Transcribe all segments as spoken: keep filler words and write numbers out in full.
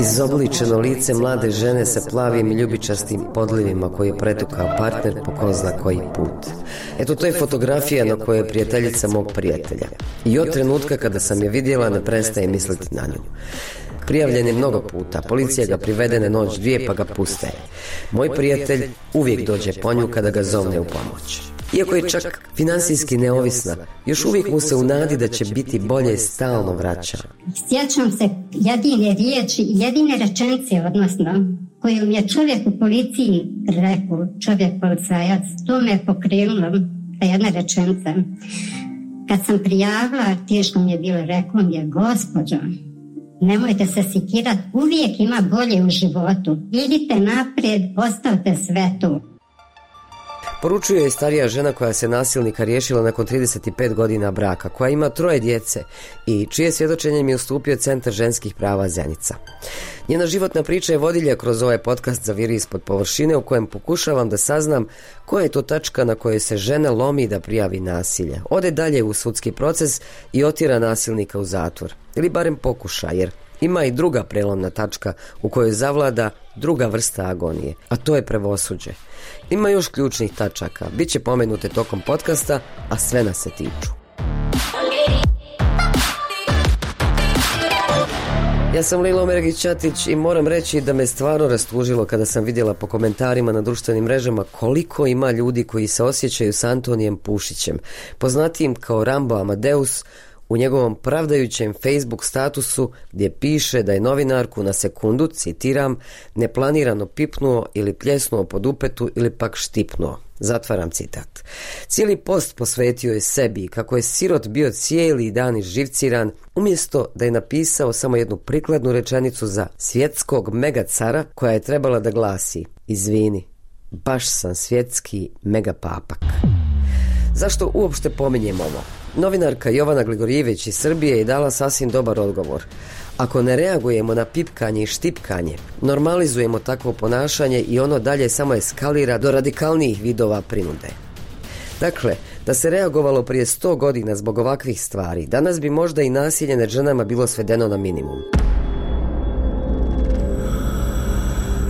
Izobličeno lice mlade žene sa plavim i ljubičastim podlivima koji je pretukao partner po ko zna koji put. Eto, to je fotografija na kojoj je prijateljica mog prijatelja. I od trenutka kada sam je vidjela ne prestaje misliti na nju. Prijavljen je mnogo puta, policija ga privede na noć dvije pa ga puste. Moj prijatelj uvijek dođe po nju kada ga zovne u pomoć. Iako je čak financijski neovisna, još uvijek mu se u nadi da će biti bolje stalno vraća. Sjećam se jedine riječi, jedine rečenice, odnosno, koju mi je čovjek u policiji rekao, čovjek policajac, to me je pokrenulo, ta jedna rečenica. Kad sam prijavila, teško mi je bilo, rekao mi je, gospođo, nemojte se sikirati, uvijek ima bolje u životu. Idite naprijed, ostavite sve to. Poručuje je starija žena koja se nasilnika riješila nakon trideset pet godina braka, koja ima troje djece i čije svjedočenje mi je ustupio Centar ženskih prava Zenica. Njena životna priča je vodilja kroz ovaj podcast Zaviri ispod površine, u kojem pokušavam da saznam koja je to tačka na kojoj se žena lomi da prijavi nasilje, ode dalje u sudski proces i otjera nasilnika u zatvor. Ili barem pokuša, jer ima i druga prelomna tačka u kojoj zavlada druga vrsta agonije, a to je pravosuđe. Ima još ključnih tačaka, bit će pomenute tokom podcasta, a sve nas se tiču. Ja sam Lilo Mergić-Ćatić i moram reći da me stvarno rastužilo kada sam vidjela po komentarima na društvenim mrežama koliko ima ljudi koji se osjećaju s Antonijem Pušićem, poznatijim kao Rambo Amadeus, u njegovom pravdajućem Facebook statusu gdje piše da je novinarku na sekundu, citiram, neplanirano pipnuo ili pljesnuo po dupetu ili pak štipnuo. Zatvaram citat. Cijeli post posvetio je sebi kako je sirot bio cijeli dan izživciran, umjesto da je napisao samo jednu prikladnu rečenicu za svjetskog megacara koja je trebala da glasi: izvini, baš sam svjetski megapapak. Zašto uopšte pominjem ovo? Novinarka Jovana Gligorijević iz Srbije je dala sasvim dobar odgovor. Ako ne reagujemo na pipkanje i štipkanje, normalizujemo takvo ponašanje i ono dalje samo eskalira do radikalnijih vidova prinude. Dakle, da se reagovalo prije sto godina zbog ovakvih stvari, danas bi možda i nasilje nad ženama bilo svedeno na minimum.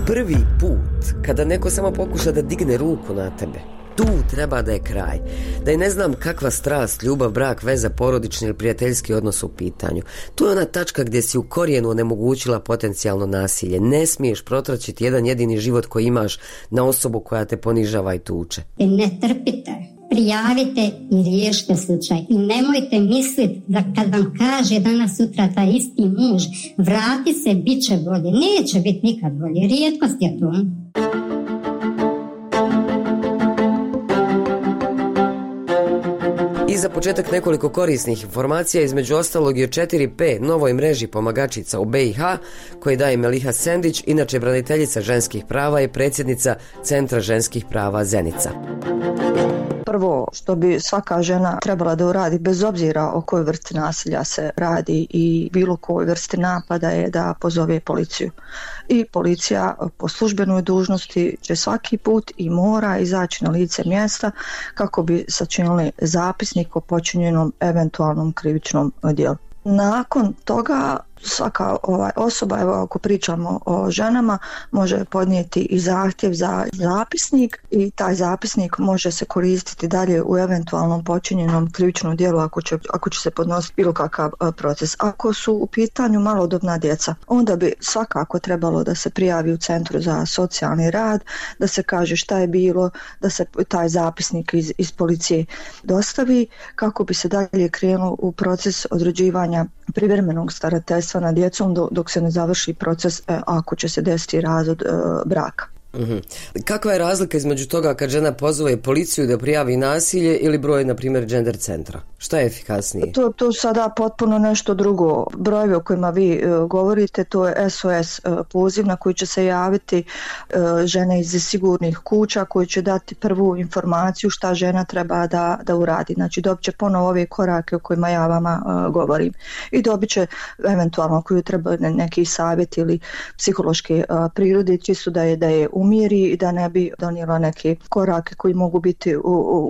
Prvi put kada neko samo pokuša da digne ruku na tebe, tu treba da je kraj. Da je ne znam kakva strast, ljubav, brak, veza, porodični ili prijateljski odnos u pitanju. Tu je ona tačka gdje si u korijenu onemogućila potencijalno nasilje. Ne smiješ protraćiti jedan jedini život koji imaš na osobu koja te ponižava i tuče. Ne trpite, prijavite i riješite slučaj. I nemojte misliti da kad vam kaže danas sutra taj isti muž, vrati se, bit će bolje. Neće biti nikad bolje. Rijetkost je to. I za početak nekoliko korisnih informacija, između ostalog i o četiri P, novoj mreži pomagačica u B i H, koje daje Meliha Sendić, inače braniteljica ženskih prava i predsjednica Centra ženskih prava Zenica. Prvo što bi svaka žena trebala da uradi, bez obzira o kojoj vrsti nasilja se radi i bilo kojoj vrsti napada, je da pozove policiju. I policija po službenoj dužnosti će svaki put i mora izaći na lice mjesta kako bi sačinili zapisnik o počinjenom eventualnom krivičnom djelu. Nakon toga svaka ovaj osoba, evo ako pričamo o ženama, može podnijeti i zahtjev za zapisnik i taj zapisnik može se koristiti dalje u eventualnom počinjenom krivičnom djelu ako će, ako će se podnositi bilo kakav proces. Ako su u pitanju malodobna djeca, onda bi svakako trebalo da se prijavi u Centru za socijalni rad, da se kaže šta je bilo, da se taj zapisnik iz, iz policije dostavi kako bi se dalje krenulo u proces određivanja privremenog starateljstva na djecom dok se ne završi proces ako će se desiti razvod braka. Mm-hmm. Kakva je razlika između toga kad žena pozove policiju da prijavi nasilje ili broj, na primjer, gender centra? Šta je efikasnije? To, to sada potpuno nešto drugo. Brojevi o kojima vi uh, govorite, to je S O S uh, poziv na koji će se javiti uh, žene iz sigurnih kuća koji će dati prvu informaciju šta žena treba da, da uradi. Znači dobit će ponovo ove korake o kojima ja vama uh, govorim. I dobit će eventualno koju treba neki savjet ili psihološke uh, prirode, čisto da je, da je umiri i da ne bi donijela neke korake koji mogu biti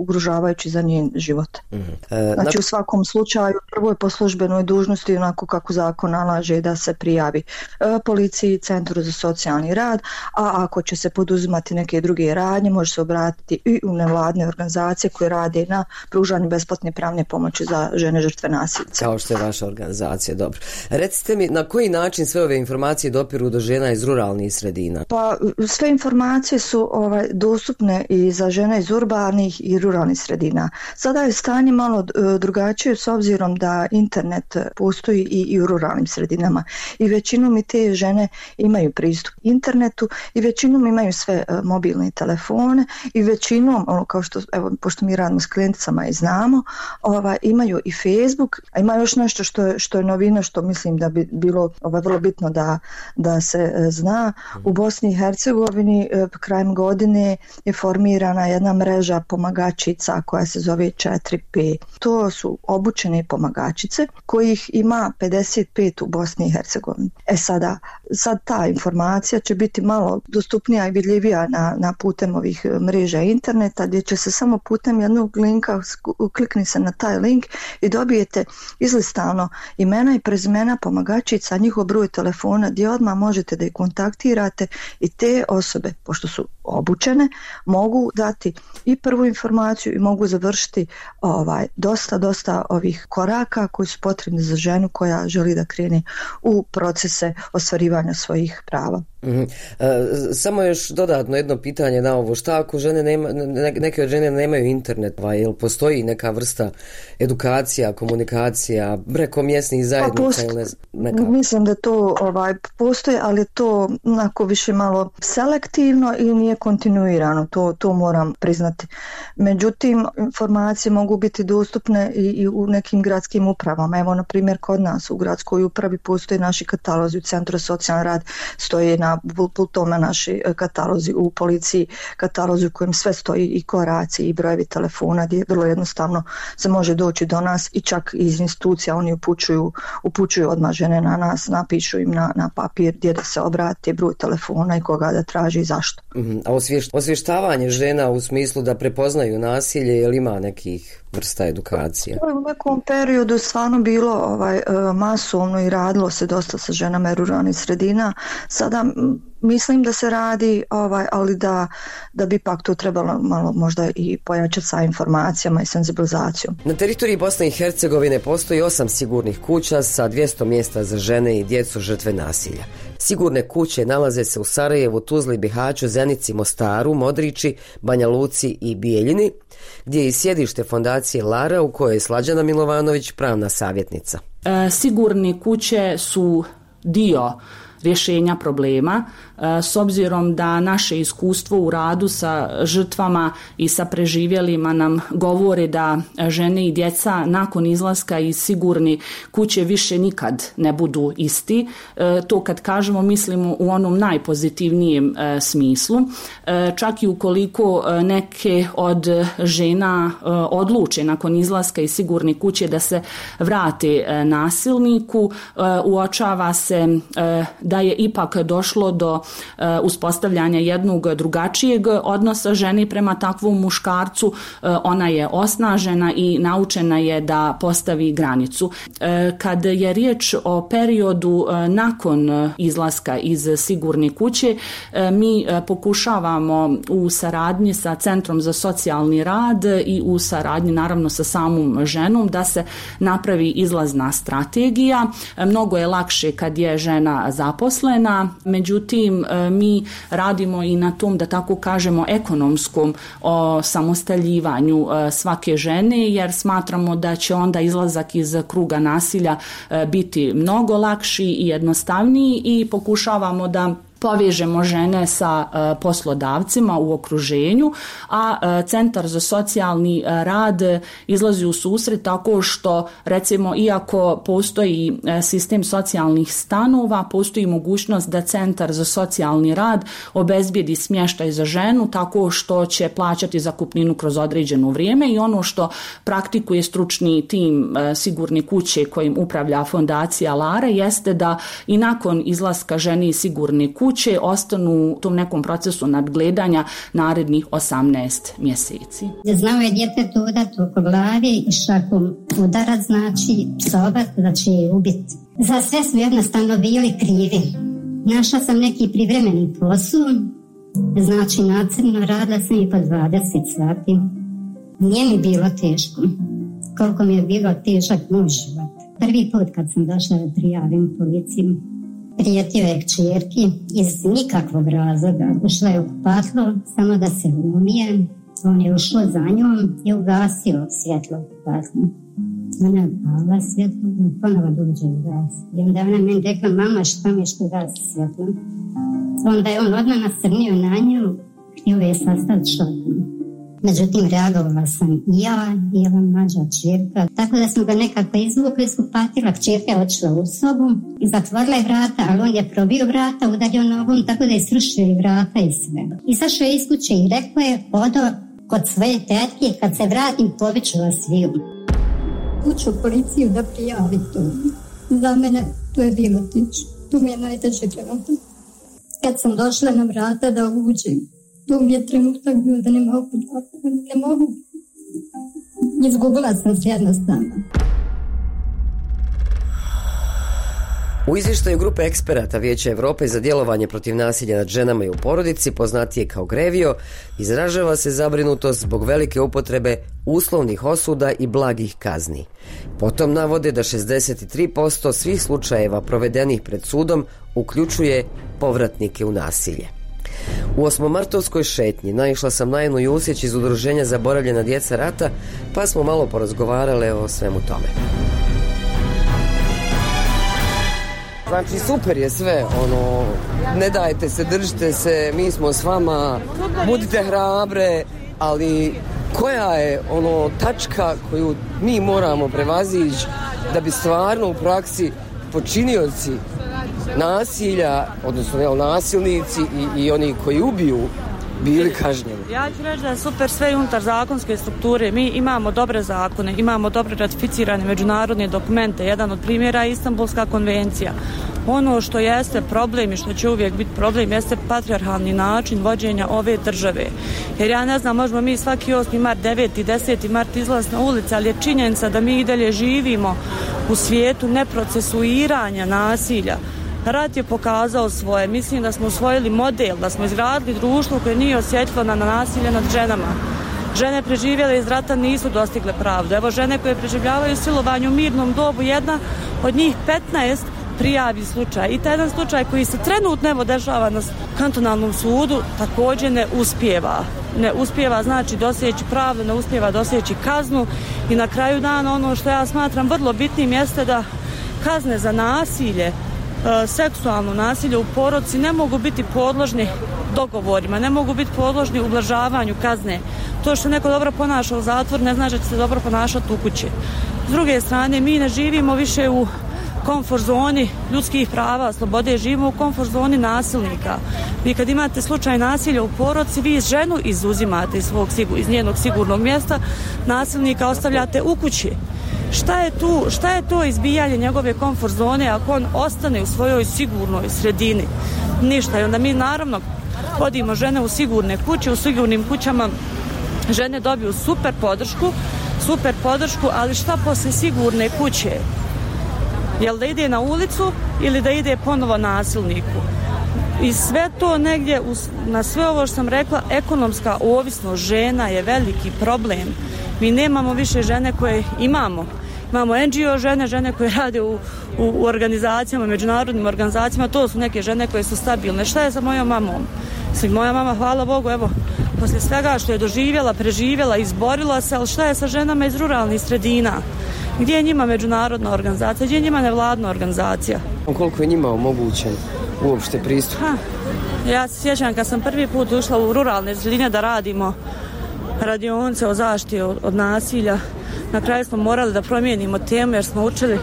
ugrožavajući za njen život. Mm-hmm. E, znači u svakom slučaju prvo je po službenoj dužnosti onako kako zakon nalaže da se prijavi e, policiji, Centru za socijalni rad, a ako će se poduzimati neke druge radnje može se obratiti i u nevladne organizacije koje rade na pružanju besplatne pravne pomoći za žene žrtve nasilja. Kao što je vaša organizacija, dobro. Recite mi, na koji način sve ove informacije dopiru do žena iz ruralnih sredina? Pa sve informacije su ovaj, dostupne i za žene iz urbanih i ruralnih sredina. Sada je stanje malo drugačije s obzirom da internet postoji i, i u ruralnim sredinama i većinom i te žene imaju pristup internetu i većinom imaju sve uh, mobilne telefone i većinom, ono, kao što, evo, pošto mi radimo s klijenticama i znamo, ovaj, imaju i Facebook, a ima još nešto što je, što je novina, što mislim da bi bilo ovaj, vrlo bitno da, da se uh, zna. U Bosni i Hercegovini uh, krajem godine je formirana jedna mreža pomagačica koja se zove četiri P. To su obučene pomagačice kojih ima pedeset pet u Bosni i Hercegovini. E sada, sad ta informacija će biti malo dostupnija i vidljivija na, na putem ovih mreža interneta gdje će se samo putem jednog linka klikni se na taj link i dobijete izlistano imena i prezimena pomagačica, njihov broj telefona gdje odmah možete da ih kontaktirate i te osobe, pošto su obučene, mogu dati i prvu informaciju i mogu završiti ovaj, dosta, dosta ovih koraka koji su potrebni za ženu koja želi da krene u procese ostvarivanja svojih prava. Mm-hmm. E, samo još dodatno jedno pitanje na ovo, šta ako žene nema, ne, neke od žene nemaju internet, pa jel postoji neka vrsta edukacija, komunikacija preko mjesnih zajednica? Pa post, ili ne, mislim da to ovaj, postoji, ali to onako više malo selektivno i nije kontinuirano, to, to moram priznati. Međutim, informacije mogu biti dostupne i, i u nekim gradskim upravama. Evo, na primjer, kod nas u gradskoj upravi postoje naši katalozi, u Centru za socijalni rad stoje na pultoma naši katalozi, u policiji katalozi u kojem sve stoji i koraci i brojevi telefona gdje vrlo jednostavno se može doći do nas i čak iz institucija oni upućuju, upućuju odmah žene na nas, napišu im na, na papir gdje da se obrati, broj telefona i koga da traži i zašto. Mm-hmm. A osvješt, osvještavanje žena u smislu da prepoznaju nasilje, je li ima nekih vrsta edukacije? U nekom periodu stvarno bilo ovaj, masovno i radilo se dosta sa ženama ruralnih sredina. Sada mislim da se radi, ovaj, ali da, da bi pak to trebalo malo možda i pojačati sa informacijama i senzibilizacijom. Na teritoriji Bosne i Hercegovine postoji osam sigurnih kuća sa dvjesto mjesta za žene i djecu žrtve nasilja. Sigurne kuće nalaze se u Sarajevu, Tuzli, Bihaću, Zenici, Mostaru, Modrići, Banja Luci i Bijeljini, gdje je i sjedište fondacije Lara u kojoj je Slađana Milovanović pravna savjetnica. E, sigurne kuće su dio rješenja problema, s obzirom da naše iskustvo u radu sa žrtvama i sa preživjelima nam govore da žene i djeca nakon izlaska iz sigurne kuće više nikad ne budu isti. To kad kažemo mislimo u onom najpozitivnijem smislu. Čak i ukoliko neke od žena odluče nakon izlaska iz sigurne kuće da se vrate nasilniku, uočava se da je ipak došlo do uh, uspostavljanja jednog drugačijeg odnosa žene prema takvom muškarcu. Uh, ona je osnažena i naučena je da postavi granicu. Uh, kad je riječ o periodu uh, nakon izlaska iz sigurne kuće, uh, mi uh, pokušavamo u saradnji sa Centrom za socijalni rad i u saradnji naravno sa samom ženom da se napravi izlazna strategija. Uh, mnogo je lakše kad je žena zaposlena, međutim mi radimo i na tom, da tako kažemo, ekonomskom samostaljivanju svake žene, jer smatramo da će onda izlazak iz kruga nasilja biti mnogo lakši i jednostavniji i pokušavamo da povežemo žene sa uh, poslodavcima u okruženju, a uh, Centar za socijalni uh, rad izlazi u susret tako što, recimo, iako postoji uh, sistem socijalnih stanova, postoji mogućnost da Centar za socijalni rad obezbijedi smještaj za ženu tako što će plaćati zakupninu kroz određeno vrijeme i ono što praktikuje stručni tim uh, sigurne kuće kojim upravlja fondacija Lara jeste da i nakon izlaska žene iz sigurne kuće kuće ostanu u tom nekom procesu nadgledanja narednih osamnaest mjeseci. Znao je djetetu udati oko glavi i šakom udarac, znači psovat, da će je ubiti. Za sve su jednostavno bili krivi. Našla sam neki privremeni posao, znači nacrno radila sam i po dvadeset sati. Nije mi bilo teško, koliko mi je bilo težak moj život. Prvi put kad sam došla da prijavim policiju, prijetio je kćerki iz nikakvog razloga. Ušla je u kupatlo samo da se umije. On je ušao za njom i ugasio svjetlo u kupatlu. Ona je upala svjetlo i ponovo dođe u gas. I onda ona meni rekla, mama, šta mi što gasi svjetlo? Onda je on odmah nasrnio na nju, htio je sastaviti šotom. Međutim, reagovala sam i ja i ova mlađa kćerka. Tako da smo ga nekako izvukli iz kupatila. Kćerka je odšla u sobu i zatvorila je vrata, ali on je probio vrata, udario nogom, tako da je srušio i vrata i sve. Izašao je iz kuće i rekao je, odo kod svoje tetke, kad se vratim, poviću vas sviju. Uću u policiju da prijavi to. Za mene to je bilo tiče. To mi je najteže trenutak. Kad sam došla na vrata da uđem, to mi je trenutak bio da ne mogu, ne mogu. Izgubila sam se jednostavno. U izvještaju grupe eksperata Vijeća Europe za djelovanje protiv nasilja nad ženama i u porodici, poznatije kao GREVIO, izražava se zabrinutost zbog velike upotrebe uslovnih osuda i blagih kazni. Potom navode da šezdeset tri posto svih slučajeva provedenih pred sudom uključuje povratnike u nasilje. U osmomartovskoj šetnji naišla sam na Enu Jusić iz udruženja Zaboravljena djeca rata, pa smo malo porazgovarale o svemu tome. Znači super je sve, ono, ne dajte se, držite se, mi smo s vama, budite hrabre, ali koja je ono tačka koju mi moramo prevazići da bi stvarno u praksi počinioci nasilja, odnosno jel, nasilnici i, i oni koji ubiju bili kažnjeni? Ja ću reći da je super sve unutar zakonske strukture. Mi imamo dobre zakone, imamo dobre ratificirane međunarodne dokumente. Jedan od primjera je Istanbulska konvencija. Ono što jeste problem i što će uvijek biti problem jeste patrijarhalni način vođenja ove države. Jer ja ne znam, možemo mi svaki osmi mart, deveti, deseti mart izlaz na ulici, ali je činjenica da mi i dalje živimo u svijetu neprocesuiranja nasilja. Rat je pokazao svoje. Mislim da smo usvojili model, da smo izgradili društvo koje nije osjetljivo na nasilje nad ženama. Žene preživjele iz rata nisu dostigle pravdu. Evo žene koje preživljavaju silovanje u mirnom dobu, jedna od njih petnaest prijavi slučaj. I taj jedan slučaj koji se trenutno evo dešava na kantonalnom sudu također ne uspijeva. Ne uspijeva znači doseći pravdu, ne uspijeva doseći kaznu i na kraju dana ono što ja smatram vrlo bitnim jeste da kazne za nasilje, seksualno nasilje u porodici ne mogu biti podložni dogovorima, ne mogu biti podložni ublažavanju kazne. To što neko dobro ponaša u zatvoru ne znači da će se dobro ponašati u kući. S druge strane, mi ne živimo više u komfort zoni ljudskih prava, slobode, živimo u komfort zoni nasilnika. Vi kad imate slučaj nasilja u porodici, vi ženu izuzimate iz, svog, iz njenog sigurnog mjesta, nasilnika ostavljate u kući. Šta je tu, šta je to izbijanje njegove komfort zone ako on ostane u svojoj sigurnoj sredini? Ništa. I onda mi naravno vodimo žene u sigurne kuće, u sigurnim kućama žene dobiju super podršku, super podršku, ali šta poslije sigurne kuće? Jel da ide na ulicu ili da ide ponovo nasilniku? I sve to negdje, na sve ovo što sam rekla, ekonomska ovisnost žena je veliki problem. Mi nemamo više žene koje imamo. Imamo en dži o žene, žene koje rade u, u, u organizacijama, međunarodnim organizacijama, to su neke žene koje su stabilne. Šta je sa mojom mamom? Sve, moja mama, hvala Bogu, evo, poslije svega što je doživjela, preživjela, izborila se, ali šta je sa ženama iz ruralnih sredina? Gdje je njima međunarodna organizacija, gdje je njima nevladna organizacija? Koliko je njima omogućen uopšte pristup? Ha, ja se sjećam kad sam prvi put ušla u ruralne sredine da radimo radionice o zaštiti od, od nasilja. Na kraju smo morali da promijenimo temu jer smo učili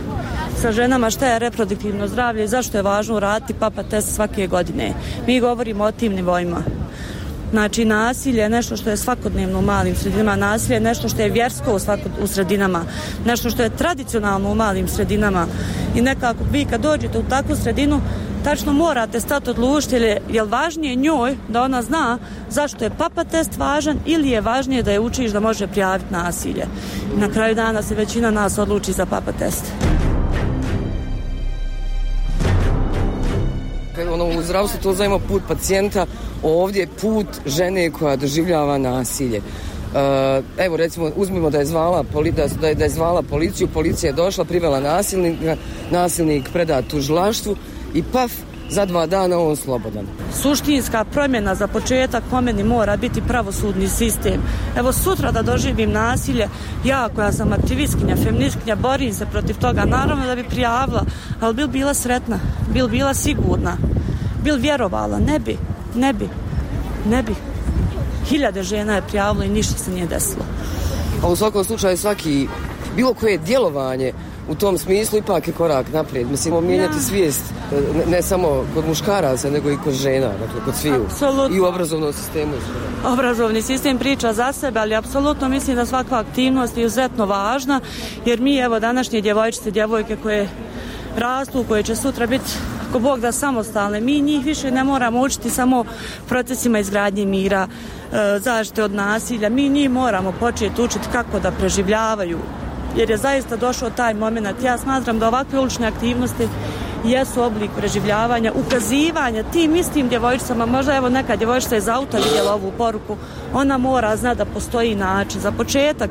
sa ženama šta je reproduktivno zdravlje i zašto je važno uraditi papa test svake godine. Mi govorimo o tim nivoima. Znači, nasilje je nešto što je svakodnevno u malim sredinama, nasilje je nešto što je vjersko u, svakod, u sredinama, nešto što je tradicionalno u malim sredinama. I nekako vi kad dođete u takvu sredinu, tačno morate stati odlučiti je li važnije njoj da ona zna zašto je papa test važan ili je važnije da je učiš da može prijaviti nasilje. I na kraju dana se većina nas odluči za papa test. Ono, u zdravstvu to zovemo put pacijenta, ovdje je put žene koja doživljava nasilje. Uh, evo recimo uzmimo da je zvala da je, da je zvala policiju, policija je došla, privela nasilnika, nasilnik predat tužilaštvu i paf, za dva dana on slobodan. Suštinska promjena za početak po meni mora biti pravosudni sistem. Evo sutra da doživim nasilje, ja koja sam aktivistkinja, feministkinja, borim se protiv toga, naravno da bi prijavila, ali bil bila sretna, bil bila sigurna, bil vjerovala, ne bi, ne bi, ne bi. Hiljade žena je prijavilo i ništa se nije desilo. A u svakom slučaju svaki, bilo koje djelovanje u tom smislu ipak je korak naprijed. Mislimo mijenjati ja. svijest ne, ne samo kod muškaraca, nego i kod žena, dakle kod sviju. Apsolutno. I u obrazovnom sistemu. Obrazovni sistem priča za sebe, ali apsolutno mislim da svaka aktivnost je izuzetno važna, jer mi evo današnje djevojčice, djevojke koje rastu, koje će sutra biti ako Bog da samostalne, mi njih više ne moramo učiti samo procesima izgradnje mira, zaštite od nasilja, mi njih moramo početi učiti kako da preživljavaju, jer je zaista došao taj moment. Ja smatram da ovakve ulične aktivnosti jesu oblik preživljavanja, ukazivanja tim istim djevojčicama, možda evo neka djevojčica iz auta vidjela ovu poruku, ona mora zna da postoji način. Za početak,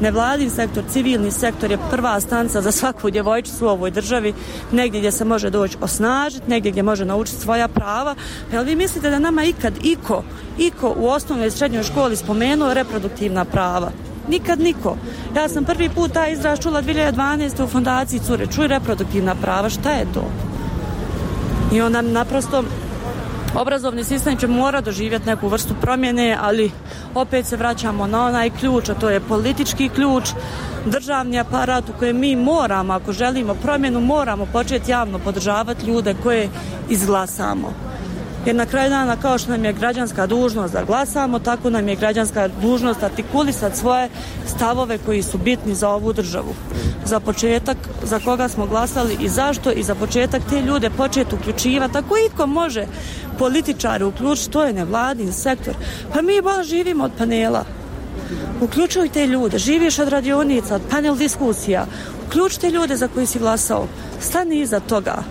nevladin sektor, civilni sektor je prva stanca za svaku djevojčicu u ovoj državi, negdje gdje se može doći osnažiti, negdje gdje može naučiti svoja prava. Jel vi mislite da nama ikad iko, iko u osnovnoj i srednjoj školi spomenuo reproduktivna prava? Nikad niko. Ja sam prvi put taj izraz čula dvije hiljade dvanaeste. u fondaciji Cure. Čuj reproduktivna prava, šta je to? I onda naprosto obrazovni sistem će mora doživjeti neku vrstu promjene, ali opet se vraćamo na onaj ključ, a to je politički ključ, državni aparat u kojem mi moramo, ako želimo promjenu, moramo početi javno podržavati ljude koje izglasamo. Jer na kraju dana, kao što nam je građanska dužnost da glasamo, tako nam je građanska dužnost artikulisati svoje stavove koji su bitni za ovu državu. Za početak, za koga smo glasali i zašto, i za početak te ljude početi uključivati. Ako iko može političari uključiti, to je nevladin sektor. Pa mi baš živimo od panela. Uključuj te ljude, živiš od radionica, od panel diskusija. Uključite ljude za koji si glasao. Stani iza toga.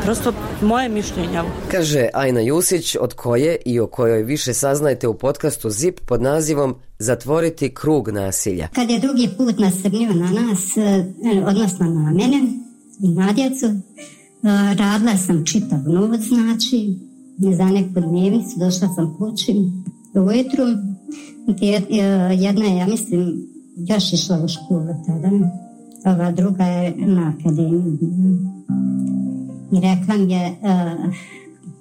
Prosto moje mišljenje. Kaže Ajna Jusić, od koje i o kojoj više saznajte u podcastu ZIP pod nazivom Zatvoriti krug nasilja. Kad je drugi put nasrnio na nas, odnosno na mene i na djecu, radila sam čitav noć, znači za neku dnevnicu, došla sam kući ujutru, jedna je, ja mislim, još išla u školu tada, ova druga je na akademiji. I rekla mi je, uh,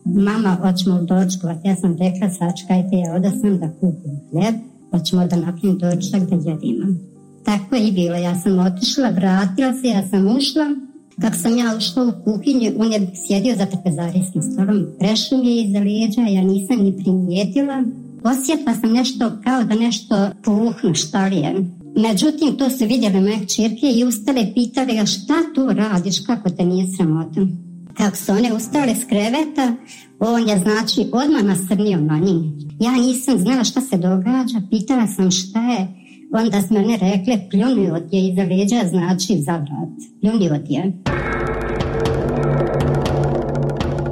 mama, hoćemo dočkovat. Ja sam rekla, sačekajte, ja oda sam da kupim hljeb, hoćemo da napravim dočak da jedimo. Tako je i bilo, ja sam otišla, vratila se, ja sam ušla. Kako sam ja ušla u kuhinju, on je sjedio za trpezarijskim stolom, prešao mi je iza lijeđa, ja nisam ni primijetila. Osjetila sam nešto kao da nešto puhnu, šta li je. Međutim, to su vidjeli moje kćerke i ustale pitali ga šta tu radiš, kako te nije sramota. Kako su one ustale s kreveta, on je znači odmah nasrnio na njih. Ja nisam znala šta se događa, pitala sam šta je, onda smo one rekle pljunio je iza leđa, znači za vrat, pljunio je.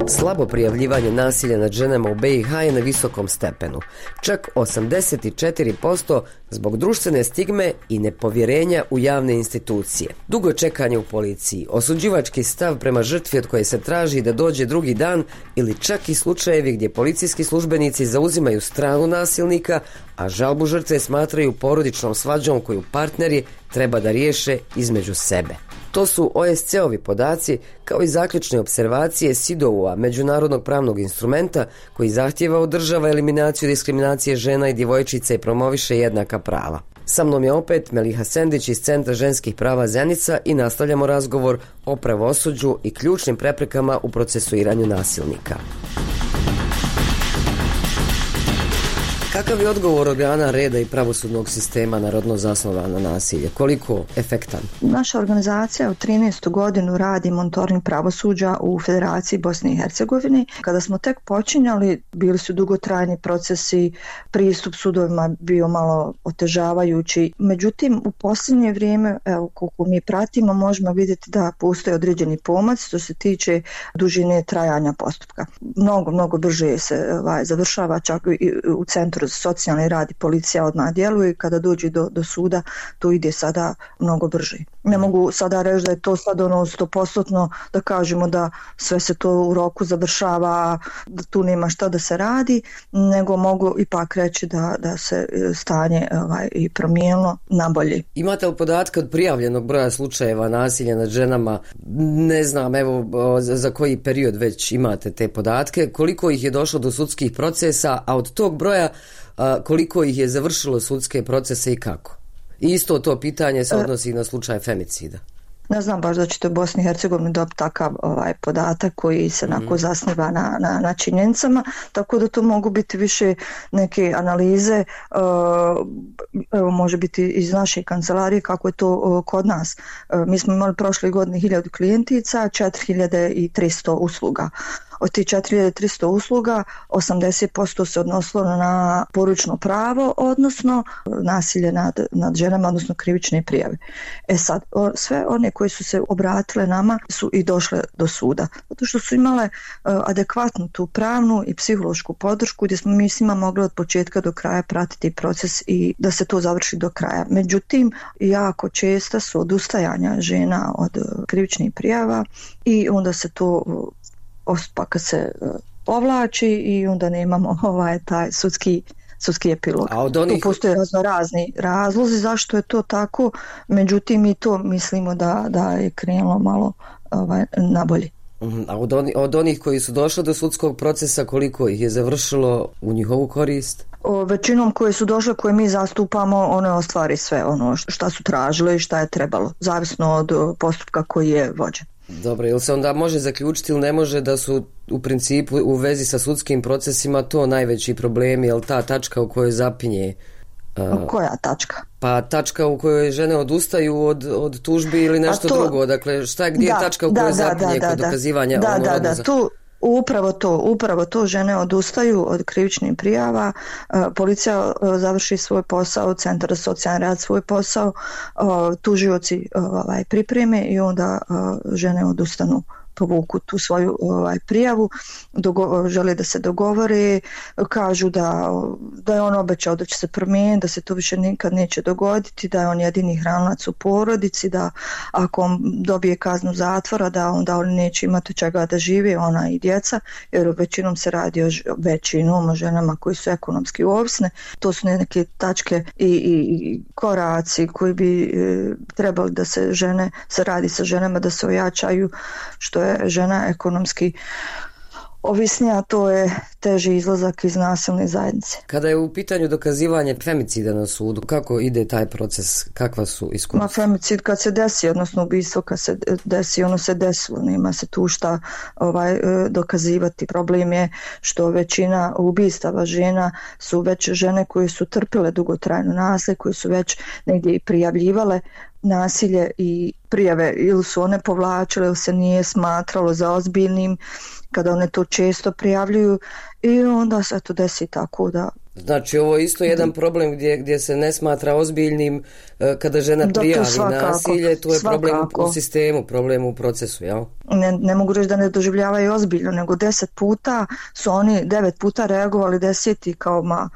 Slabo prijavljivanje nasilja nad ženama u be i ha je na visokom stepenu. Čak osamdeset četiri posto zbog društvene stigme i nepovjerenja u javne institucije. Dugo čekanje u policiji, osuđivački stav prema žrtvi od koje se traži da dođe drugi dan ili čak i slučajevi gdje policijski službenici zauzimaju stranu nasilnika, a žalbu žrtve smatraju porodičnom svađom koju partneri treba da riješe između sebe. To su o es ce ovi podaci kao i zaključne observacije S I D O-a, međunarodnog pravnog instrumenta koji zahtijeva od država eliminaciju diskriminacije žena i djevojčica i promoviše jednaka prava. Sa mnom je opet Meliha Sendić iz Centra ženskih prava Zenica i nastavljamo razgovor o pravosuđu i ključnim preprekama u procesuiranju nasilnika. Kakav je odgovor organa reda i pravosudnog sistema na rodno zasnovano nasilje? Koliko efektan? Naša organizacija u trinaestu godinu radi monitoring pravosuđa u Federaciji Bosne i Hercegovine. Kada smo tek počinjali, bili su dugotrajni procesi, pristup sudovima bio malo otežavajući. Međutim, u posljednje vrijeme, evo, koliko mi pratimo, možemo vidjeti da postoje određeni pomac što se tiče dužine trajanja postupka. Mnogo, mnogo brže se ovaj, završava, čak i u Centru za socijalni rad i policija odmah djeluje i kada dođe do, do suda, to ide sada mnogo brže. Ne mogu sada reći da je to sad ono sto posto da kažemo da sve se to u roku završava, da tu nema šta da se radi, nego mogu ipak reći da, da se stanje ovaj, i promijenilo na bolje. Imate li podatke od prijavljenog broja slučajeva nasilja nad ženama? Ne znam, evo za koji period već imate te podatke, koliko ih je došlo do sudskih procesa, a od tog broja koliko ih je završilo sudske procese i kako? I isto to pitanje se odnosi na slučaj femicida. Ne znam baš da ćete u Bosni i Hercegovini dobiti takav ovaj, podatak koji se onako mm. zasniva na, na, na činjenicama, tako da to mogu biti više neke analize, uh, evo može biti iz naše kancelarije kako je to uh, kod nas. Uh, mi smo imali prošle godine hiljadu klijentica, četiri hiljade tristo usluga. Od tih četiri hiljade tristo usluga osamdeset posto se odnosilo na poručno pravo, odnosno nasilje nad, nad ženama, odnosno krivične prijave. E sad, o, sve one koje su se obratile nama su i došle do suda, zato što su imale uh, adekvatnu tu pravnu i psihološku podršku gdje smo mi s njima mogli od početka do kraja pratiti proces i da se to završi do kraja. Međutim, jako česta su odustajanja žena od uh, krivičnih prijava i onda se to uh, postupak se povlači i onda nemamo ovaj taj sudski sudski epilog. A od onih... Tu postoje razno razni razlozi zašto je to tako, međutim i to mislimo da, da je krenulo malo ovaj, nabolje. A od, oni, od onih koji su došli do sudskog procesa, koliko ih je završilo u njihovu korist? O, većinom koje su došle, koje mi zastupamo, one ostvari sve ono šta su tražile i šta je trebalo, zavisno od postupka koji je vođen. Dobro, ili se onda može zaključiti ili ne može da su u principu u vezi sa sudskim procesima to najveći problem, je li ta tačka u kojoj zapinje? Uh, Koja tačka? Pa tačka u kojoj žene odustaju od, od tužbi ili nešto to, drugo, dakle šta je, gdje da, je tačka u kojoj da, zapinje da, da, kod da, dokazivanja? Da, ono da, da, za... tu Upravo to, upravo to žene odustaju od krivičnih prijava, policija završi svoj posao, Centar za socijalni rad svoj posao, tužioci ovaj, pripreme i onda žene odustanu, povuku tu svoju ovaj, prijavu, dogo- žele da se dogovore, kažu da, da je on obećao da će se promijeniti, da se to više nikad neće dogoditi, da je on jedini hranac u porodici, da ako on dobije kaznu zatvora, da onda oni neće imati čega da žive, ona i djeca, jer većinom se radi o većinom o ženama koji su ekonomski ovisne. To su neke tačke i, i, i koraci koji bi e, trebali da se žene, se radi sa ženama, da se ojačaju, što je žena ekonomski ovisnija, to je teži izlazak iz nasilne zajednice. Kada je u pitanju dokazivanje femicida na sudu, kako ide taj proces, kakva su iskustva? Ma femicid kad se desi, odnosno ubistvo kad se desi, ono se desilo, nema se tu šta ovaj, dokazivati. Problem je što većina ubistava žena su već žene koje su trpile dugotrajno nasilje, koje su već negdje i prijavljivale nasilje i prijave ili su one povlačile ili se nije smatralo za ozbiljnim kada one to često prijavljuju i onda se to desi tako da... Znači ovo je isto jedan problem gdje, gdje se ne smatra ozbiljnim kada žena prijavi svakako, nasilje, to je svakako. Problem u sistemu, problem u procesu, jel? Ne, ne mogu reći da ne doživljavaju ozbiljno, nego deset puta su oni devet puta reagovali, deseti kao ma...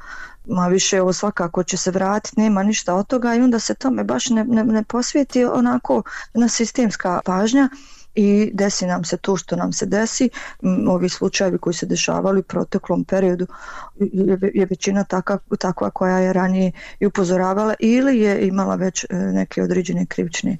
ma više ovo svakako će se vratiti, nema ništa od toga i onda se tome baš ne, ne, ne posvijeti onako na sistemska pažnja i desi nam se to što nam se desi. Ovi slučajevi koji se dešavali u proteklom periodu je, je većina taka, takva koja je ranije i upozoravala ili je imala već neke određene krivične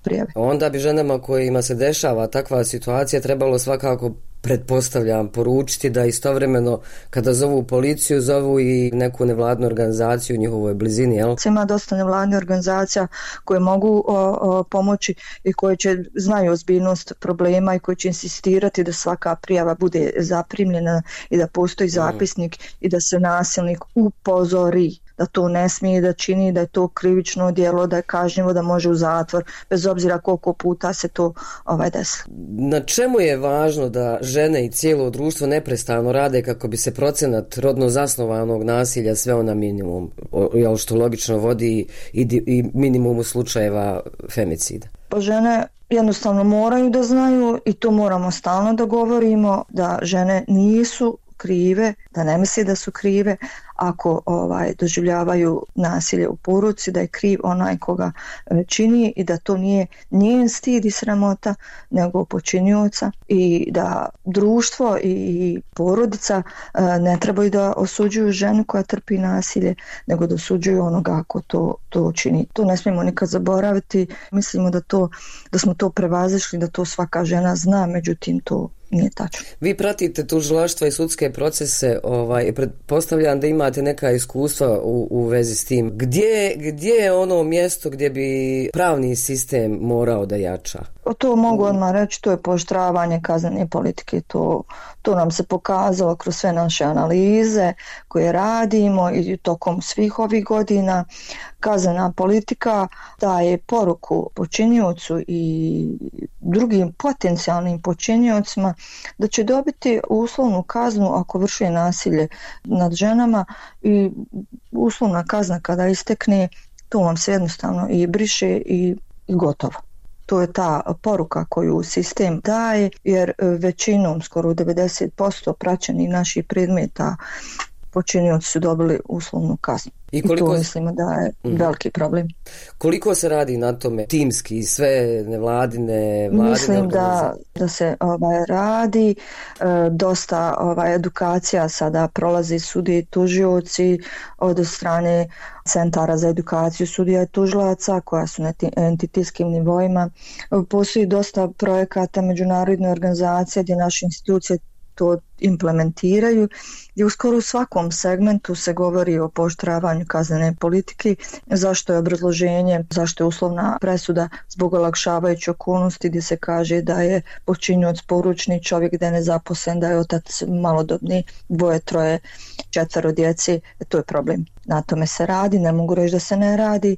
prijave. Onda bi ženama kojima se dešava takva situacija trebalo svakako pretpostavljam, poručiti da istovremeno kada zovu policiju, zovu i neku nevladnu organizaciju u njihovoj blizini, jel? Ima dosta nevladnih organizacija koje mogu o, o, pomoći i koje će znaju ozbiljnost problema i koje će insistirati da svaka prijava bude zaprimljena i da postoji zapisnik mm. i da se nasilnik upozori da to ne smije da čini, da je to krivično djelo, da je kažnjivo, da može u zatvor, bez obzira koliko puta se to ovaj desi. Na čemu je važno da žene i cijelo društvo neprestano rade kako bi se procenat rodno zasnovanog nasilja sveo na minimum, jel što logično vodi i, i minimumu slučajeva femicida? Pa žene jednostavno moraju da znaju i to moramo stalno da govorimo, da žene nisu krive, da ne misli da su krive ako ovaj doživljavaju nasilje u porodici, da je kriv onaj koga čini i da to nije njen stid i sramota nego počinioca i da društvo i porodica ne trebaju da osuđuju ženu koja trpi nasilje, nego da osuđuju onoga ko to, to čini. To ne smijemo nikad zaboraviti. Mislimo da, to, da smo to prevazišli, da to svaka žena zna, međutim to nije tačno. Vi pratite tužilaštva i sudske procese, ovaj, pretpostavljam da imate neka iskustva u, u vezi s tim. Gdje, gdje je ono mjesto gdje bi pravni sistem morao da jača? To mogu odmah reći, to je pooštravanje kaznene politike. To, to nam se pokazalo kroz sve naše analize koje radimo i tokom svih ovih godina. Kaznena politika daje poruku počiniocu i drugim potencijalnim počiniocima da će dobiti uslovnu kaznu ako vrši nasilje nad ženama i uslovna kazna kada istekne, to vam se jednostavno i briše i, i gotovo. To je ta poruka koju sistem daje, jer većinom, skoro devedeset posto praćenih naših predmeta počinioci su dobili uslovnu kaznu. I, koliko... I to mislimo da je mm. veliki problem. Koliko se radi na tome timski, sve nevladine, vladine Mislim da, da se ovaj, radi, e, dosta ovaj, edukacija sada prolazi sudije i tužioci od strane centara za edukaciju sudija i tužilaca koja su na entitetskim nivoima. Postoji dosta projekata međunarodne organizacije gdje naše institucije to implementiraju i u skoro u svakom segmentu se govori o pooštravanju kaznene politike, zašto je obrazloženje, zašto je uslovna presuda zbog olakšavajuće okolnosti gdje se kaže da je počinioc poručni čovjek, da je nezaposlen, da je otac malodobni, dvoje, troje, četvero djece, to je problem. Na tome se radi, ne mogu reći da se ne radi,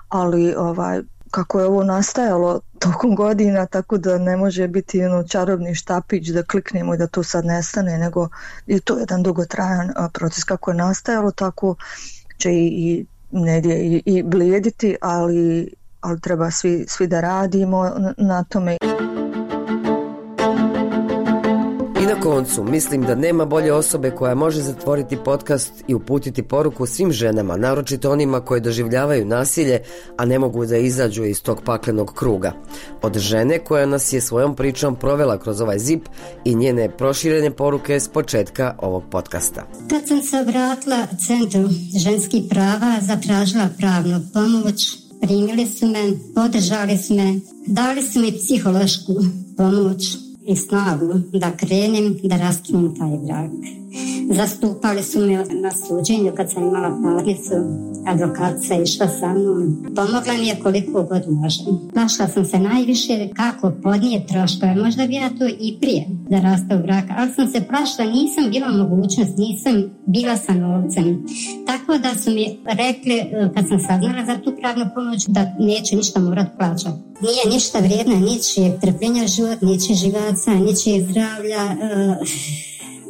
ali ovaj kako je ovo nastajalo tokom godina, tako da ne može biti ono čarobni štapić da kliknemo i da to sad nestane, nego je to jedan dugotrajan proces. Kako je nastajalo, tako će i, i negdje i, i blijediti, ali, ali treba svi, svi da radimo na, na tome. I na koncu, mislim da nema bolje osobe koja može zatvoriti podcast i uputiti poruku svim ženama, naročito onima koje doživljavaju nasilje, a ne mogu da izađu iz tog paklenog kruga. Od žene koja nas je svojom pričom provela kroz ovaj zip i njene proširene poruke s početka ovog podcasta. Kad sam se obratila Centru ženskih prava, zatražila pravnu pomoć, primili su me, podržali su me, dali su mi psihološku pomoć i snagu da krenem da raskinem taj brak. Zastupali su me na suđenju kad sam imala parnicu, advokatica išla sa mnom. Pomogla mi je koliko god može. Plašila sam se najviše kako podnije troškove, možda bi ja to i prije da raste u brak, ali sam se plašila, nisam bila mogućnost, nisam bila sa novcem. Tako da su mi rekli, kad sam saznala za tu pravnu pomoć, da neću ništa morat plaćati. Nije ništa vrijedna, ničijeg trpljenja život, ničijeg živaca, ničijeg zdravlja, uh,